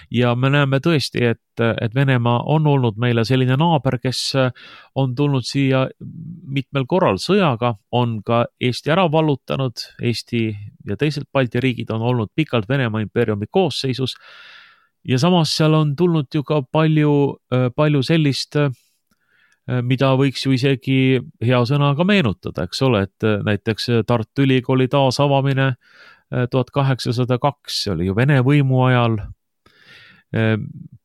ja me näeme tõesti, et Venemaa on olnud meile selline naaber, kes on tulnud siia mitmel korral sõjaga, on ka Eesti ära vallutanud, Eesti ja teised Balti riigid on olnud pikalt Venemaa impeeriumi koosseisus ja samas seal on tulnud ju ka palju sellist mida võiks ju isegi hea sõnaga meenutada, eks ole, et näiteks Tartu Ülikooli taasavamine 1802, see oli ju Vene võimu ajal,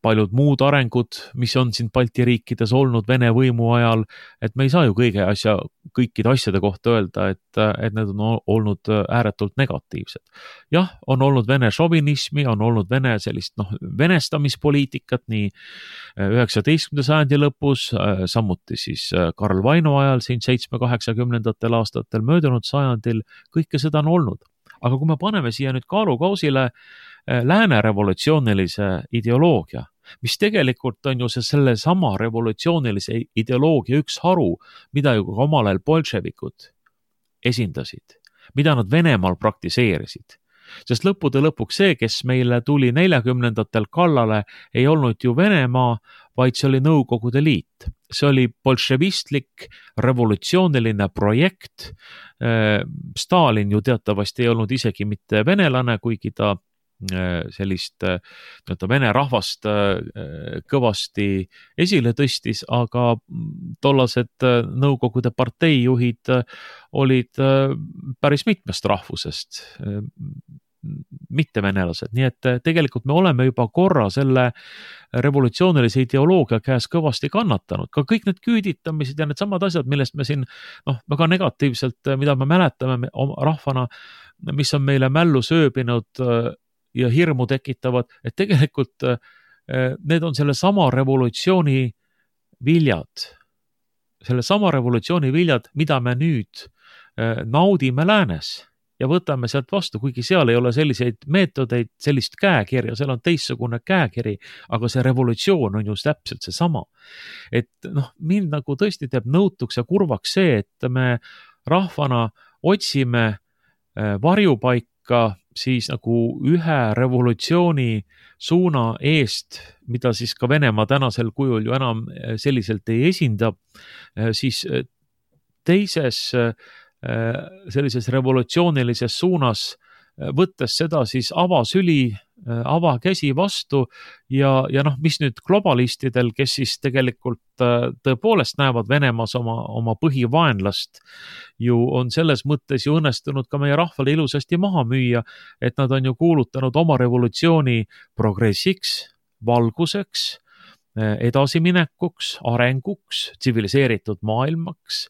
paljud muud arengud, mis on siin Balti riikides olnud Vene võimu ajal, et me ei saa ju kõikide asjade kohta öelda, et need on olnud ääretult negatiivsed. Jah, on olnud Vene šovinismi, on olnud Vene sellist venestamispoliitikat nii 19. sajandi lõpus, samuti siis Karl Vaino ajal siin 7-80 aastatel möödunud sajandil, kõike seda on olnud. Aga kui me paneme siia nüüd kaalukausile lääne revolutsioonilise ideoloogia, mis tegelikult on ju selle sama revolutsioonilise ideoloogia üks haru, mida ju ka omal ajal bolševikud esindasid, mida nad Venemaal praktiseerisid. Sest lõppude lõpuks see, kes meile tuli 40-ndatel kallale, ei olnud ju Venemaa, vaid see oli Nõukogude Liit. See oli bolševistlik revolutsiooniline projekt. Stalin ju teatavasti ei olnud isegi mitte venelane, kuigi ta sellist vene rahvast kõvasti esile tõstis, aga tollased Nõukogude parteijuhid olid päris mitmest rahvusest, mitte venelased, nii et tegelikult me oleme juba korra selle revolutsioonilise ideoloogia käes kõvasti kannatanud, ka kõik need küüditamised ja need samad asjad, millest me siin väga negatiivselt, mida me mäletame rahvana, mis on meile mällu sööbinud ja hirmu tekitavad, et tegelikult need on selle sama revolutsiooni viljad, mida me nüüd naudime läänes ja võtame sealt vastu, kuigi seal ei ole selliseid meetodeid, sellist käekirja, seal on teistsugune käekiri, aga see revolutsioon on just täpselt seesama. Et mind nagu tõesti teeb nõutuks ja kurvaks see, et me rahvana otsime varjupaika siis nagu ühe revolutsiooni suuna eest, mida siis ka Venemaa tänasel kujul ju enam selliselt ei esinda, siis teises sellises revolutsioonilises suunas, võttes seda siis avasüli, avakäsi vastu ja mis nüüd globalistidel, kes siis tegelikult tõepoolest näevad Venemaas oma põhivaenlast, ju on selles mõttes ju õnnestunud ka meie rahvale ilusasti maha müüa, et nad on ju kuulutanud oma revolutsiooni progressiks, valguseks, edasiminekuks, arenguks, tsiviliseeritud maailmaks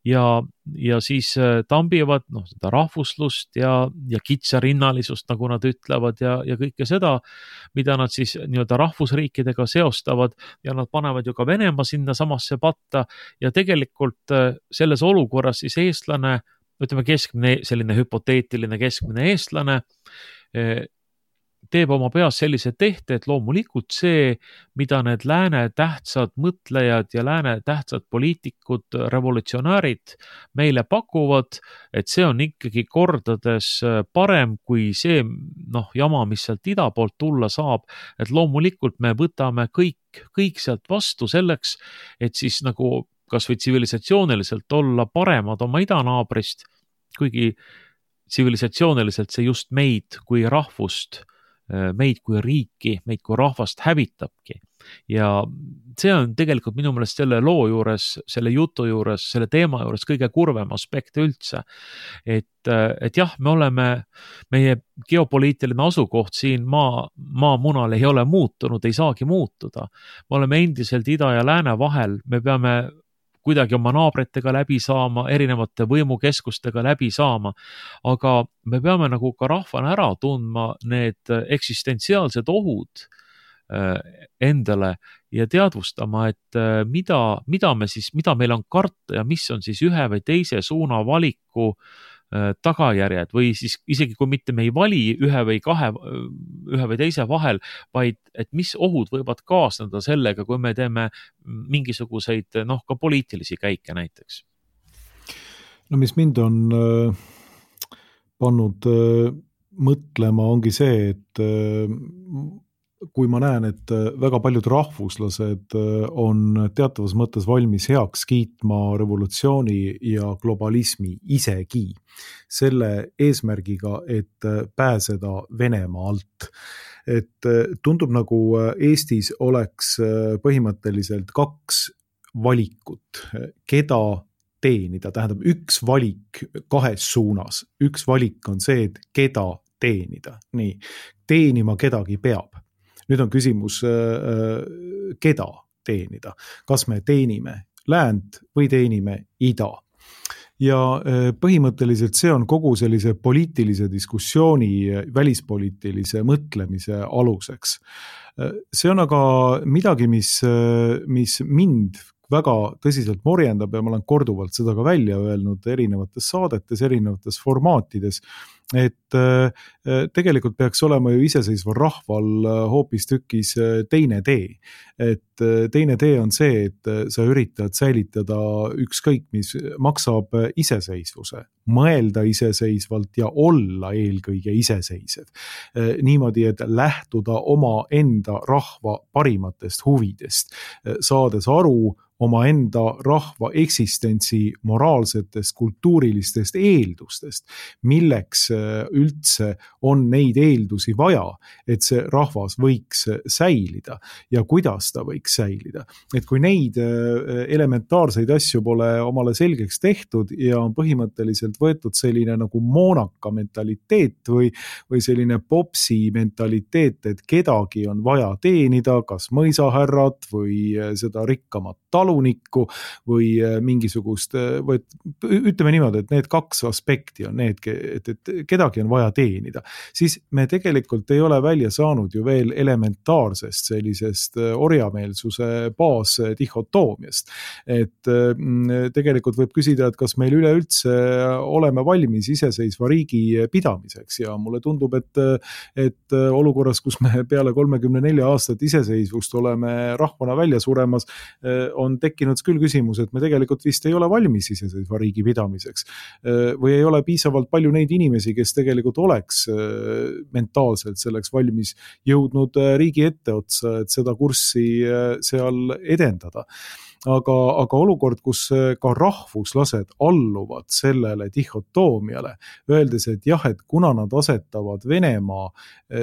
ja siis tambivad seda rahvuslust ja kitsarinnalisust, nagu nad ütlevad ja kõike seda, mida nad siis nii-öelda rahvusriikidega seostavad ja nad panevad ju ka Venemaa sinna samasse patta ja tegelikult selles olukorras siis eestlane, ütleme keskmine, selline hüpoteetiline keskmine eestlane teeb oma peas sellise tehte, et loomulikult see, mida need lääne tähtsad mõtlejad ja lääne tähtsad poliitikud, revolutsionäärid meile pakuvad, et see on ikkagi kordades parem kui see jama, mis sealt ida poolt tulla saab, et loomulikult me võtame kõik sealt vastu selleks, et siis nagu kas või tsivilisatsiooniliselt olla paremad oma idanaabrist, kuigi tsivilisatsiooniliselt see just meid kui rahvust, meid kui riiki, meid kui rahvast hävitabki. Ja see on tegelikult minu meelest selle loo juures, selle jutu juures, selle teema juures kõige kurvem aspekt üldse. Et jah, meie geopoliitiline asukoht siin maamunal ei ole muutunud, ei saagi muutuda. Me oleme endiselt ida ja lääne vahel, me peame kuidagi oma naabritega läbi saama, erinevate võimukeskustega läbi saama, aga me peame nagu ka rahvana ära tundma need eksistentsiaalsed ohud endale ja teadvustama, et mida meil on karta ja mis on siis ühe või teise suuna valiku tagajärjed või siis isegi kui mitte me ei vali ühe või teise vahel, vaid et mis ohud võivad kaasneda sellega, kui me teeme mingisuguseid ka poliitilisi käike näiteks. No mis mind on pannud mõtlema ongi see, et kui ma näen, et väga paljud rahvuslased on teatavas mõttes valmis heaks kiitma revolutsiooni ja globalismi isegi selle eesmärgiga, et pääseda Venemaa alt. Et tundub nagu Eestis oleks põhimõtteliselt kaks valikut, keda teenida, tähendab üks valik kahes suunas. Üks valik on see, et keda teenida. Nii, teenima kedagi peab. Nüüd on küsimus, keda teenida. Kas me teenime läänt või teenime ida? Ja põhimõtteliselt see on kogu sellise poliitilise diskussiooni, välispoliitilise mõtlemise aluseks. See on aga midagi, mis mind väga tõsiselt morjendab ja ma olen korduvalt seda ka välja öelnud erinevates saadetes, erinevates formaatides, et tegelikult peaks olema ju iseseisval rahval hoopis tükis teine tee. Et teine tee on see, et sa üritad säilitada ükskõik, mis maksab iseseisvuse, mõelda iseseisvalt ja olla eelkõige iseseisev. Niimoodi, et lähtuda oma enda rahva parimatest huvidest, saades aru oma enda rahva eksistentsi moraalsetest, kultuurilistest eeldustest, milleks üldse on neid eeldusi vaja, et see rahvas võiks säilida ja kuidas ta võiks säilida. Et kui neid elementaarseid asju pole omale selgeks tehtud ja on põhimõtteliselt võetud selline nagu moonaka mentaliteet või selline popsi mentaliteet, et kedagi on vaja teenida, kas mõisahärrat või seda rikkamat talunikku või mingisugust, ütleme niimoodi, et need kaks aspekti on need, et kedagi on vaja teenida, siis me tegelikult ei ole välja saanud ju veel elementaarsest sellisest orjameelsuse baasdihhotoomiast. Et tegelikult võib küsida, et kas meil üleüldse oleme valmis iseseisva riigi pidamiseks ja mulle tundub, et olukorras, kus me peale 34 aastat iseseisvust oleme rahvana välja suremas, on tekkinud küll küsimus, et me tegelikult vist ei ole valmis iseseisva riigi pidamiseks või ei ole piisavalt palju neid inimesi, kes tegelikult oleks mentaalselt selleks valmis jõudnud riigi etteotsa, et seda kurssi seal edendada. Aga olukord, kus ka rahvuslased alluvad sellele dihhotoomiale, öeldes, et jah, et kuna nad asetavad Venemaa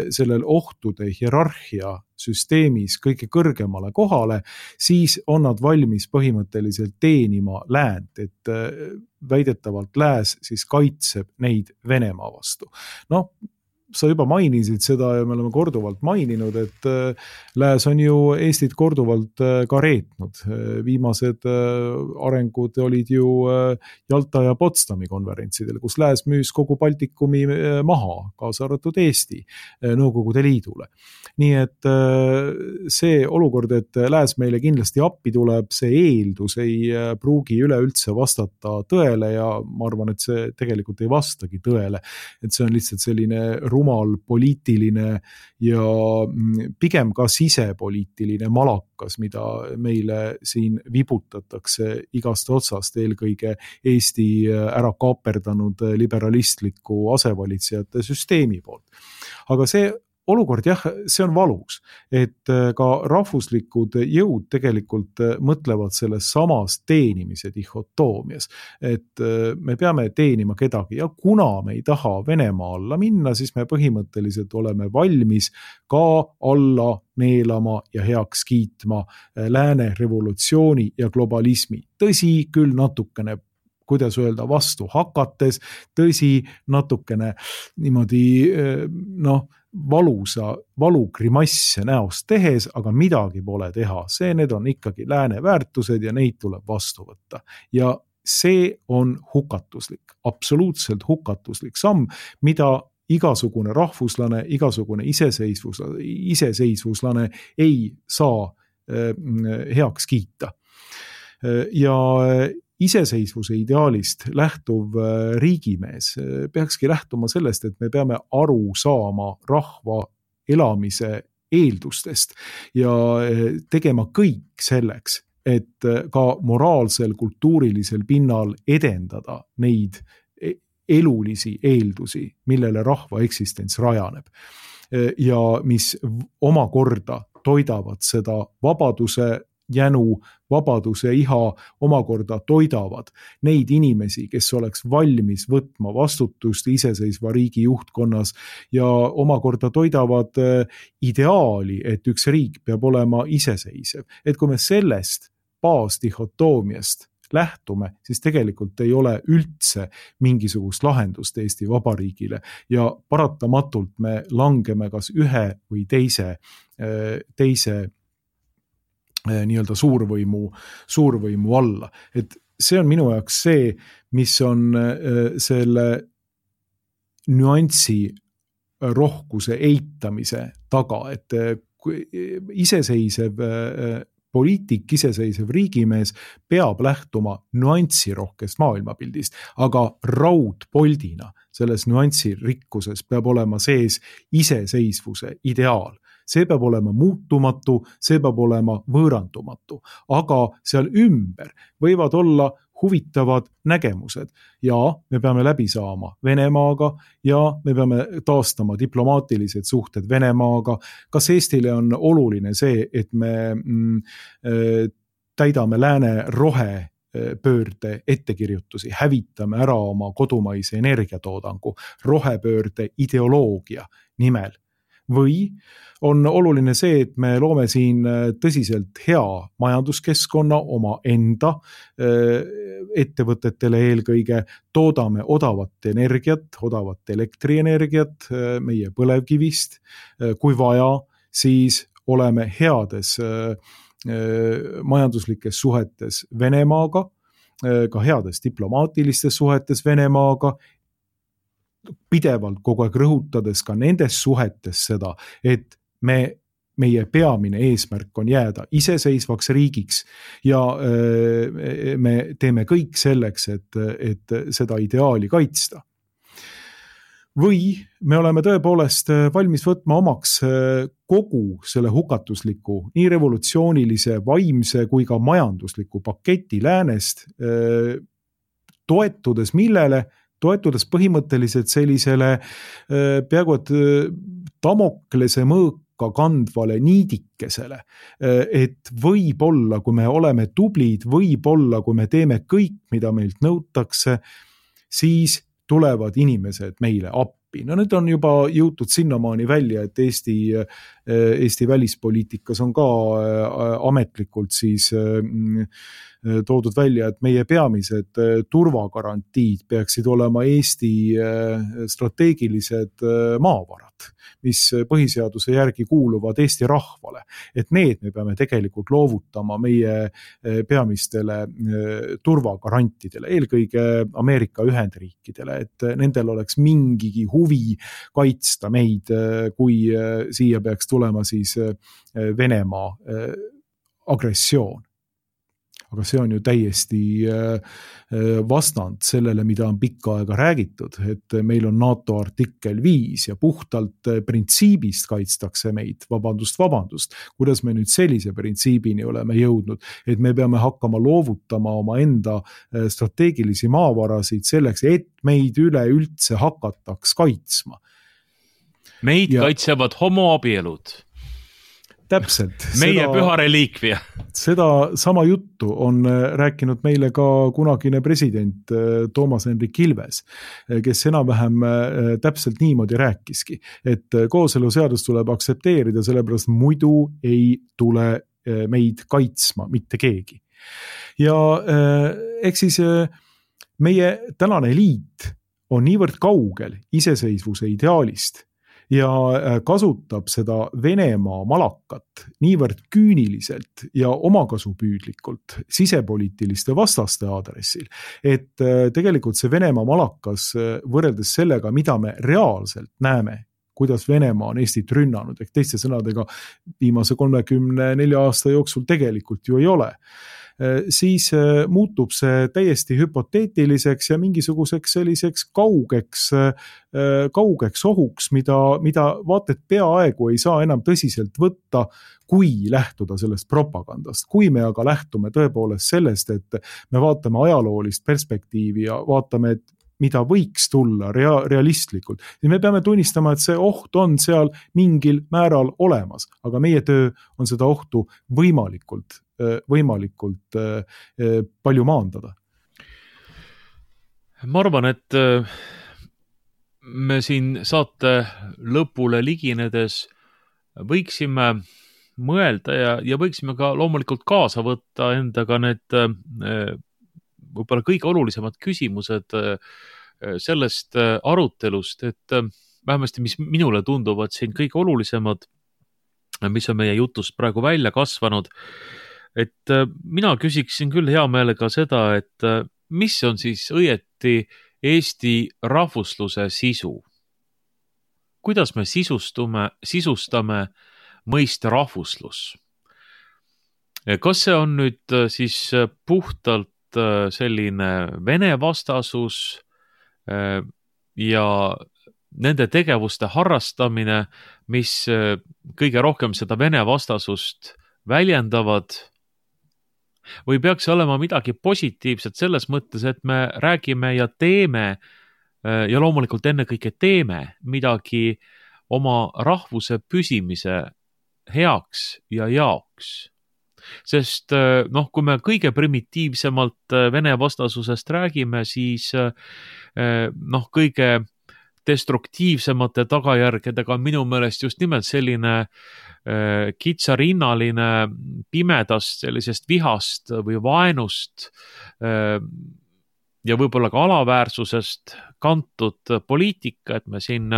sellel ohtude hierarhia süsteemis kõige kõrgemale kohale, siis on nad valmis põhimõtteliselt teenima läänt, et väidetavalt lääs siis kaitseb neid Venemaa vastu. sa juba mainisid seda ja me oleme korduvalt maininud, et lääs on ju Eestit korduvalt ka reetnud. Viimased arengud olid ju Jalta ja Potsdami konverentsidel, kus lääs müüs kogu Baltikumi maha, kaasa arvatud Eesti Nõukogude Liidule. Nii et see olukord, et lääs meile kindlasti appi tuleb, see eeldus ei pruugi üleüldse vastata tõele ja ma arvan, et see tegelikult ei vastagi tõele. Et see on lihtsalt selline rumal poliitiline ja pigem ka sisepoliitiline malakas, mida meile siin vibutatakse igast otsast, eelkõige Eesti ära kaaperdanud liberalistliku asevalitsejate süsteemi poolt. Aga see olukord, jah, see on valus, et ka rahvuslikud jõud tegelikult mõtlevad selles samas teenimise dihhotoomias, et me peame teenima kedagi ja kuna me ei taha Venemaa alla minna, siis me põhimõtteliselt oleme valmis ka alla neelama ja heaks kiitma lääne revolutsiooni ja globalismi. Tõsi, küll natukene kuidas öelda, vastu hakates, tõsi, natukene niimoodi valugrimasse näost tehes, aga midagi pole teha. Need on ikkagi lääne väärtused ja neid tuleb vastu võtta. Ja see on hukatuslik, absoluutselt hukatuslik samm, mida igasugune rahvuslane, igasugune iseseisvuslane ei saa heaks kiita. Ja iseseisvuse ideaalist lähtuv riigimees peakski lähtuma sellest, et me peame aru saama rahva elamise eeldustest ja tegema kõik selleks, et ka moraalsel, kultuurilisel pinnal edendada neid elulisi eeldusi, millele rahva eksistents rajaneb ja mis omakorda toidavad seda vabaduse jänu, vabaduse iha omakorda toidavad neid inimesi, kes oleks valmis võtma vastutust iseseisva riigi juhtkonnas ja omakorda toidavad ideaali, et üks riik peab olema iseseisev. Et kui me sellest baasdihhotoomiast lähtume, siis tegelikult ei ole üldse mingisugust lahendust Eesti Vabariigile ja paratamatult me langeme kas ühe või teise nii-öelda suurvõimu alla. Et see on minu jaoks see, mis on selle nüansi rohkuse eitamise taga, et iseseisev poliitik, iseseisev riigimees peab lähtuma nüansirohkest maailmapildist, aga raudpoldina selles nüansirikkuses peab olema sees iseseisvuse ideaal. See peab olema muutumatu, see peab olema võõrandumatu, aga seal ümber võivad olla huvitavad nägemused ja me peame läbi saama Venemaaga ja me peame taastama diplomaatilised suhted Venemaaga. Kas Eestile on oluline see, et me täidame lääne rohepöörde ettekirjutusi, hävitame ära oma kodumaise energiatoodangu rohepöörde ideoloogia nimel? Või on oluline see, et me loome siin tõsiselt hea majanduskeskkonna oma enda ettevõtetele eelkõige, toodame odavat energiat, odavat elektrienergiat meie põlevkivist, kui vaja, siis oleme heades majanduslikes suhetes Venemaaga, ka heades diplomaatilistes suhetes Venemaaga, pidevalt kogu aeg rõhutades ka nendes suhetes seda, et meie peamine eesmärk on jääda iseseisvaks riigiks ja me teeme kõik selleks, et seda ideaali kaitsta. Või me oleme tõepoolest valmis võtma omaks kogu selle hukatusliku, nii revolutsioonilise, vaimse kui ka majandusliku paketi läänest, toetudes millele? Toetudes põhimõtteliselt sellisele peaaegu et Damoklese mõõka kandvale niidikesele, et võib-olla, kui me oleme tublid, võib-olla, kui me teeme kõik, mida meilt nõutakse, siis tulevad inimesed meile appi. No nüüd on juba jõutud sinnamaani välja, et Eesti välispoliitikas on ka ametlikult siis toodud välja, et meie peamised turvagarantiid peaksid olema Eesti strateegilised maavarad, mis põhiseaduse järgi kuuluvad Eesti rahvale. Et need me peame tegelikult loovutama meie peamistele turvagarantidele, eelkõige Ameerika Ühendriikidele, et nendel oleks mingigi huvi kaitsta meid, kui siia peaks tulema siis Venemaa agressioon. Aga see on ju täiesti vastand sellele, mida on pikka aega räägitud, et meil on NATO artikkel 5 ja puhtalt printsiibist kaitstakse meid, vabandust, kuidas me nüüd sellise printsiibini oleme jõudnud, et me peame hakkama loovutama oma enda strateegilisi maavarasid selleks, et meid üleüldse hakataks kaitsma. Meid kaitsevad homoabielud. Täpselt. Meie püha reliikvia. Seda sama juttu on rääkinud meile ka kunagine president Toomas Hendrik Ilves, kes enam-vähem täpselt niimoodi rääkiski, et kooseluseadus tuleb aksepteerida, sellepärast muidu ei tule meid kaitsma mitte keegi. Ja eks siis meie tänane eliit on niivõrd kaugel iseseisvuse ideaalist, ja kasutab seda Venemaa malakat niivõrd küüniliselt ja omakasupüüdlikult sisepoliitiliste vastaste aadressil, et tegelikult see Venemaa malakas võrreldes sellega, mida me reaalselt näeme, kuidas Venemaa on Eestit rünnanud, ehk teiste sõnadega viimase 34 aasta jooksul tegelikult ju ei ole, siis muutub see täiesti hüpoteetiliseks ja mingisuguseks selliseks kaugeks ohuks, mida vaat et peaaegu ei saa enam tõsiselt võtta, kui lähtuda sellest propagandast. Kui me aga lähtume tõepoolest sellest, et me vaatame ajaloolist perspektiivi ja vaatame, et mida võiks tulla realistlikult, siis me peame tunnistama, et see oht on seal mingil määral olemas, aga meie töö on seda ohtu võimalikult palju maandada. Ma arvan, et me siin saate lõpule liginedes võiksime mõelda ja võiksime ka loomulikult kaasa võtta endaga need võib-olla kõige olulisemad küsimused sellest arutelust, et vähemasti mis minule tunduvad siin kõige olulisemad, mis on meie jutust praegu välja kasvanud, et mina küsiksin küll hea meelega seda, et mis on siis õieti Eesti rahvusluse sisu? Kuidas me sisustame mõiste rahvuslus? Kas see on nüüd siis puhtalt selline Vene vastasus ja nende tegevuste harrastamine, mis kõige rohkem seda Vene vastasust väljendavad, või peaks olema midagi positiivset selles mõttes, et me räägime ja teeme ja loomulikult ennekõike teeme midagi oma rahvuse püsimise heaks ja jaoks. Sest kui me kõige primitiivsemalt Vene vastasusest räägime, siis kõige destruktiivsemate tagajärgedega on minu meelest just nimelt selline kitsarinnaline pimedast, sellisest vihast või vaenust ja võib-olla ka alaväärsusest kantud poliitika, et me siin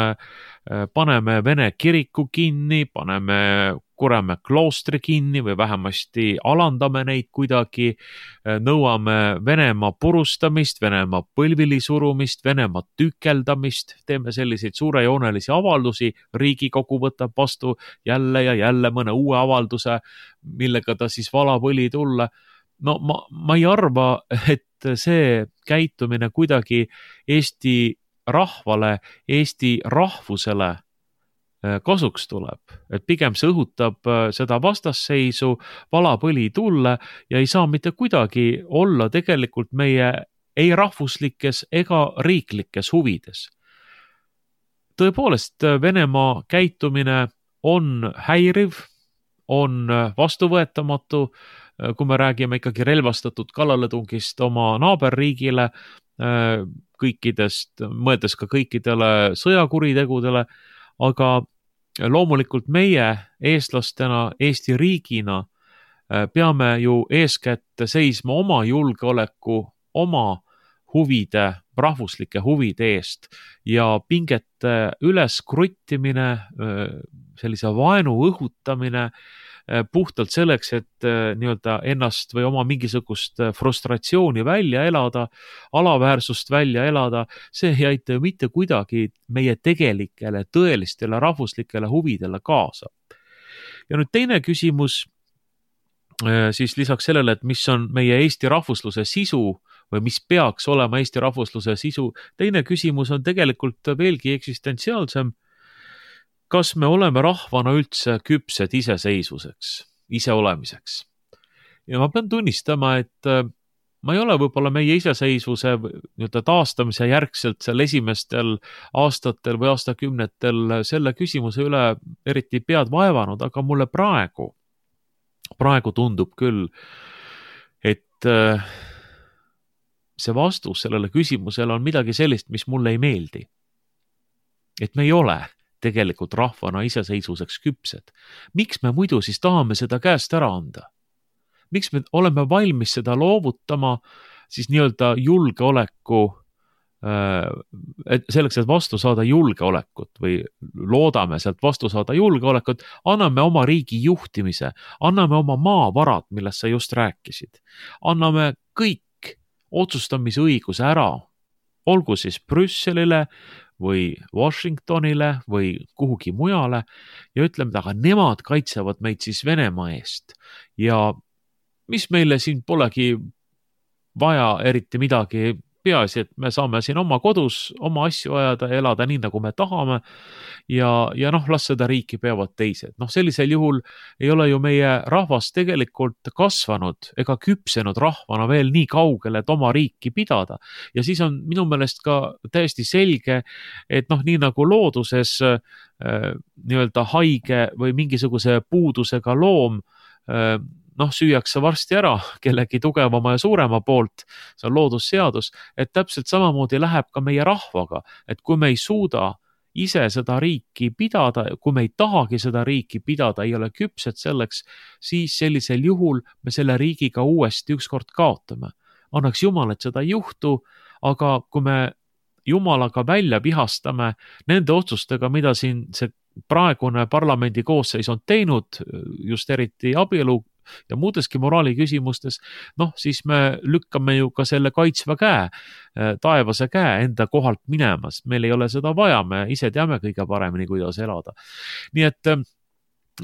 paneme Vene kiriku kinni, paneme Kuremäe kloostri kinni või vähemasti alandame neid kuidagi, nõuame Venemaa purustamist, Venemaa põlvili surumist, Venemaa tükeldamist, teeme selliseid suurejoonelisi avaldusi, Riigikogu võtab vastu jälle ja jälle mõne uue avalduse, millega ta siis valab õli tulla. No ma ei arva, et see käitumine kuidagi Eesti rahvale, Eesti rahvusele kasuks tuleb, et pigem see õhutab seda vastasseisu, valab õli tulle ja ei saa mitte kuidagi olla tegelikult meie ei rahvuslikes ega riiklikes huvides. Tõepoolest, Venemaa käitumine on häiriv, on vastuvõetamatu, kui me räägime ikkagi relvastatud kallaletungist oma naaberriigile, mõeldes ka kõikidele sõjakuritegudele, aga loomulikult meie eestlastena, Eesti riigina peame ju eeskätt seisma oma julgeoleku, oma huvide, rahvuslike huvide eest ja pingete üles kruttimine, sellise vaenu õhutamine puhtalt selleks, et nii-öelda ennast või oma mingisugust frustratsiooni välja elada, alaväärsust välja elada, see ei aita ju mitte kuidagi meie tegelikele, tõelistele rahvuslikele huvidele kaasa. Ja nüüd teine küsimus, siis lisaks sellele, et mis on meie Eesti rahvusluse sisu või mis peaks olema Eesti rahvusluse sisu, teine küsimus on tegelikult veelgi eksistentsiaalsem. Kas me oleme rahvana üldse küpsed iseseisvuseks, iseolemiseks? Ja ma pean tunnistama, et ma ei ole võib-olla meie iseseisvuse taastamise järgselt seal esimestel aastatel või aastakümnetel selle küsimuse üle eriti pead vaevanud, aga mulle praegu tundub küll, et see vastus sellele küsimusele on midagi sellist, mis mulle ei meeldi. Et me ei ole tegelikult rahvana iseseisvuseks küpsed. Miks me muidu siis tahame seda käest ära anda? Miks me oleme valmis seda loovutama siis nii-öelda julgeoleku, selleks, et vastu saada julgeolekut või loodame sealt vastu saada julgeolekut, anname oma riigi juhtimise, anname oma maavarad, millest sa just rääkisid, anname kõik otsustamisõiguse ära, olgu siis Brüsselile või Washingtonile või kuhugi mujale ja ütleme, aga nemad kaitsevad meid siis Venemaa eest ja mis meile siin polegi vaja eriti midagi, peaasi, et me saame siin oma kodus oma asju ajada ja elada nii, nagu me tahame ja las seda riiki peavad teised. Sellisel juhul ei ole ju meie rahvas tegelikult kasvanud ega küpsenud rahvana veel nii kaugele, et oma riiki pidada. Ja siis on minu meelest ka täiesti selge, et nii nagu looduses nii-öelda haige või mingisuguse puudusega loom süüakse varsti ära kellegi tugevama ja suurema poolt, see on loodusseadus, et täpselt samamoodi läheb ka meie rahvaga, et kui me ei suuda ise seda riiki pidada, kui me ei tahagi seda riiki pidada, ei ole küpsed selleks, siis sellisel juhul me selle riigiga uuesti ükskord kaotame. Annaks Jumal, et seda ei juhtu, aga kui me Jumalaga välja vihastame nende otsustega, mida siin see praegune parlamendi koosseis on teinud, just eriti abielu ja muudeski moraali küsimustes, siis me lükkame ju ka selle kaitsva käe, taevase käe enda kohalt minemas. Meil ei ole seda vaja, me ise teame kõige paremini, kuidas elada. Nii et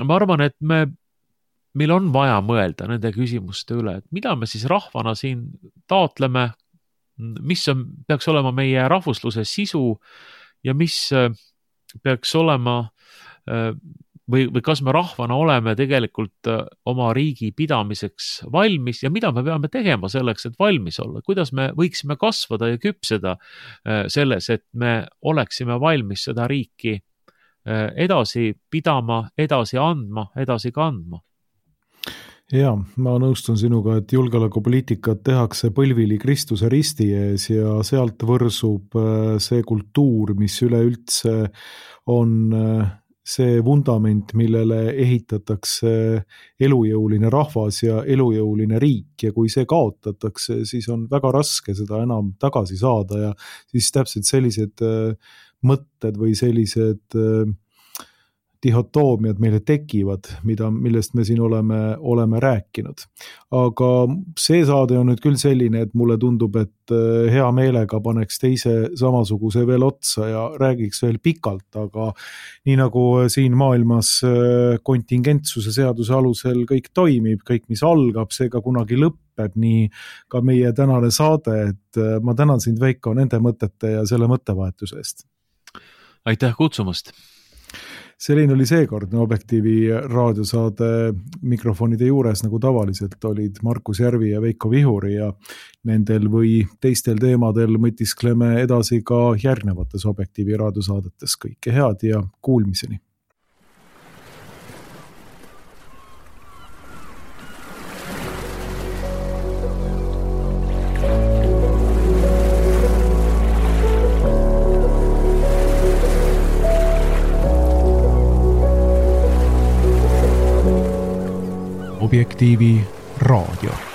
ma arvan, et meil on vaja mõelda nende küsimuste üle, et mida me siis rahvana siin taotleme, mis peaks olema meie rahvusluse sisu ja mis peaks olema või kas me rahvana oleme tegelikult oma riigi pidamiseks valmis ja mida me peame tegema selleks, et valmis olla, kuidas me võiksime kasvada ja küpseda selles, et me oleksime valmis seda riiki edasi pidama, edasi andma, edasi kandma. Ja, ma nõustun sinuga, et julgeolekupoliitikat tehakse põlvili Kristuse risti ees ja sealt võrsub see kultuur, mis üleüldse on see vundament, millele ehitatakse elujõuline rahvas ja elujõuline riik ja kui see kaotatakse, siis on väga raske seda enam tagasi saada ja siis täpselt sellised mõtted või sellised dihotoomiad meile tekivad, millest me siin oleme rääkinud. Aga see saade on nüüd küll selline, et mulle tundub, et hea meelega paneks teise samasuguse veel otsa ja räägiks veel pikalt, aga nii nagu siin maailmas kontingentsuse seaduse alusel kõik toimib, kõik mis algab, see ka kunagi lõpeb, nii ka meie tänane saade, et ma tänan sind, Veiko, nende mõtete ja selle mõttevahetuse eest. Aitäh kutsumast! Selline oli seekordne Objektiivi raadiosaade mikrofonide juures, nagu tavaliselt olid Markus Järvi ja Veiko Vihuri ja nendel või teistel teemadel mõtiskleme edasi ka järgnevates Objektiivi raadiosaadetes. Kõike head ja kuulmiseni! Objektiivi raadio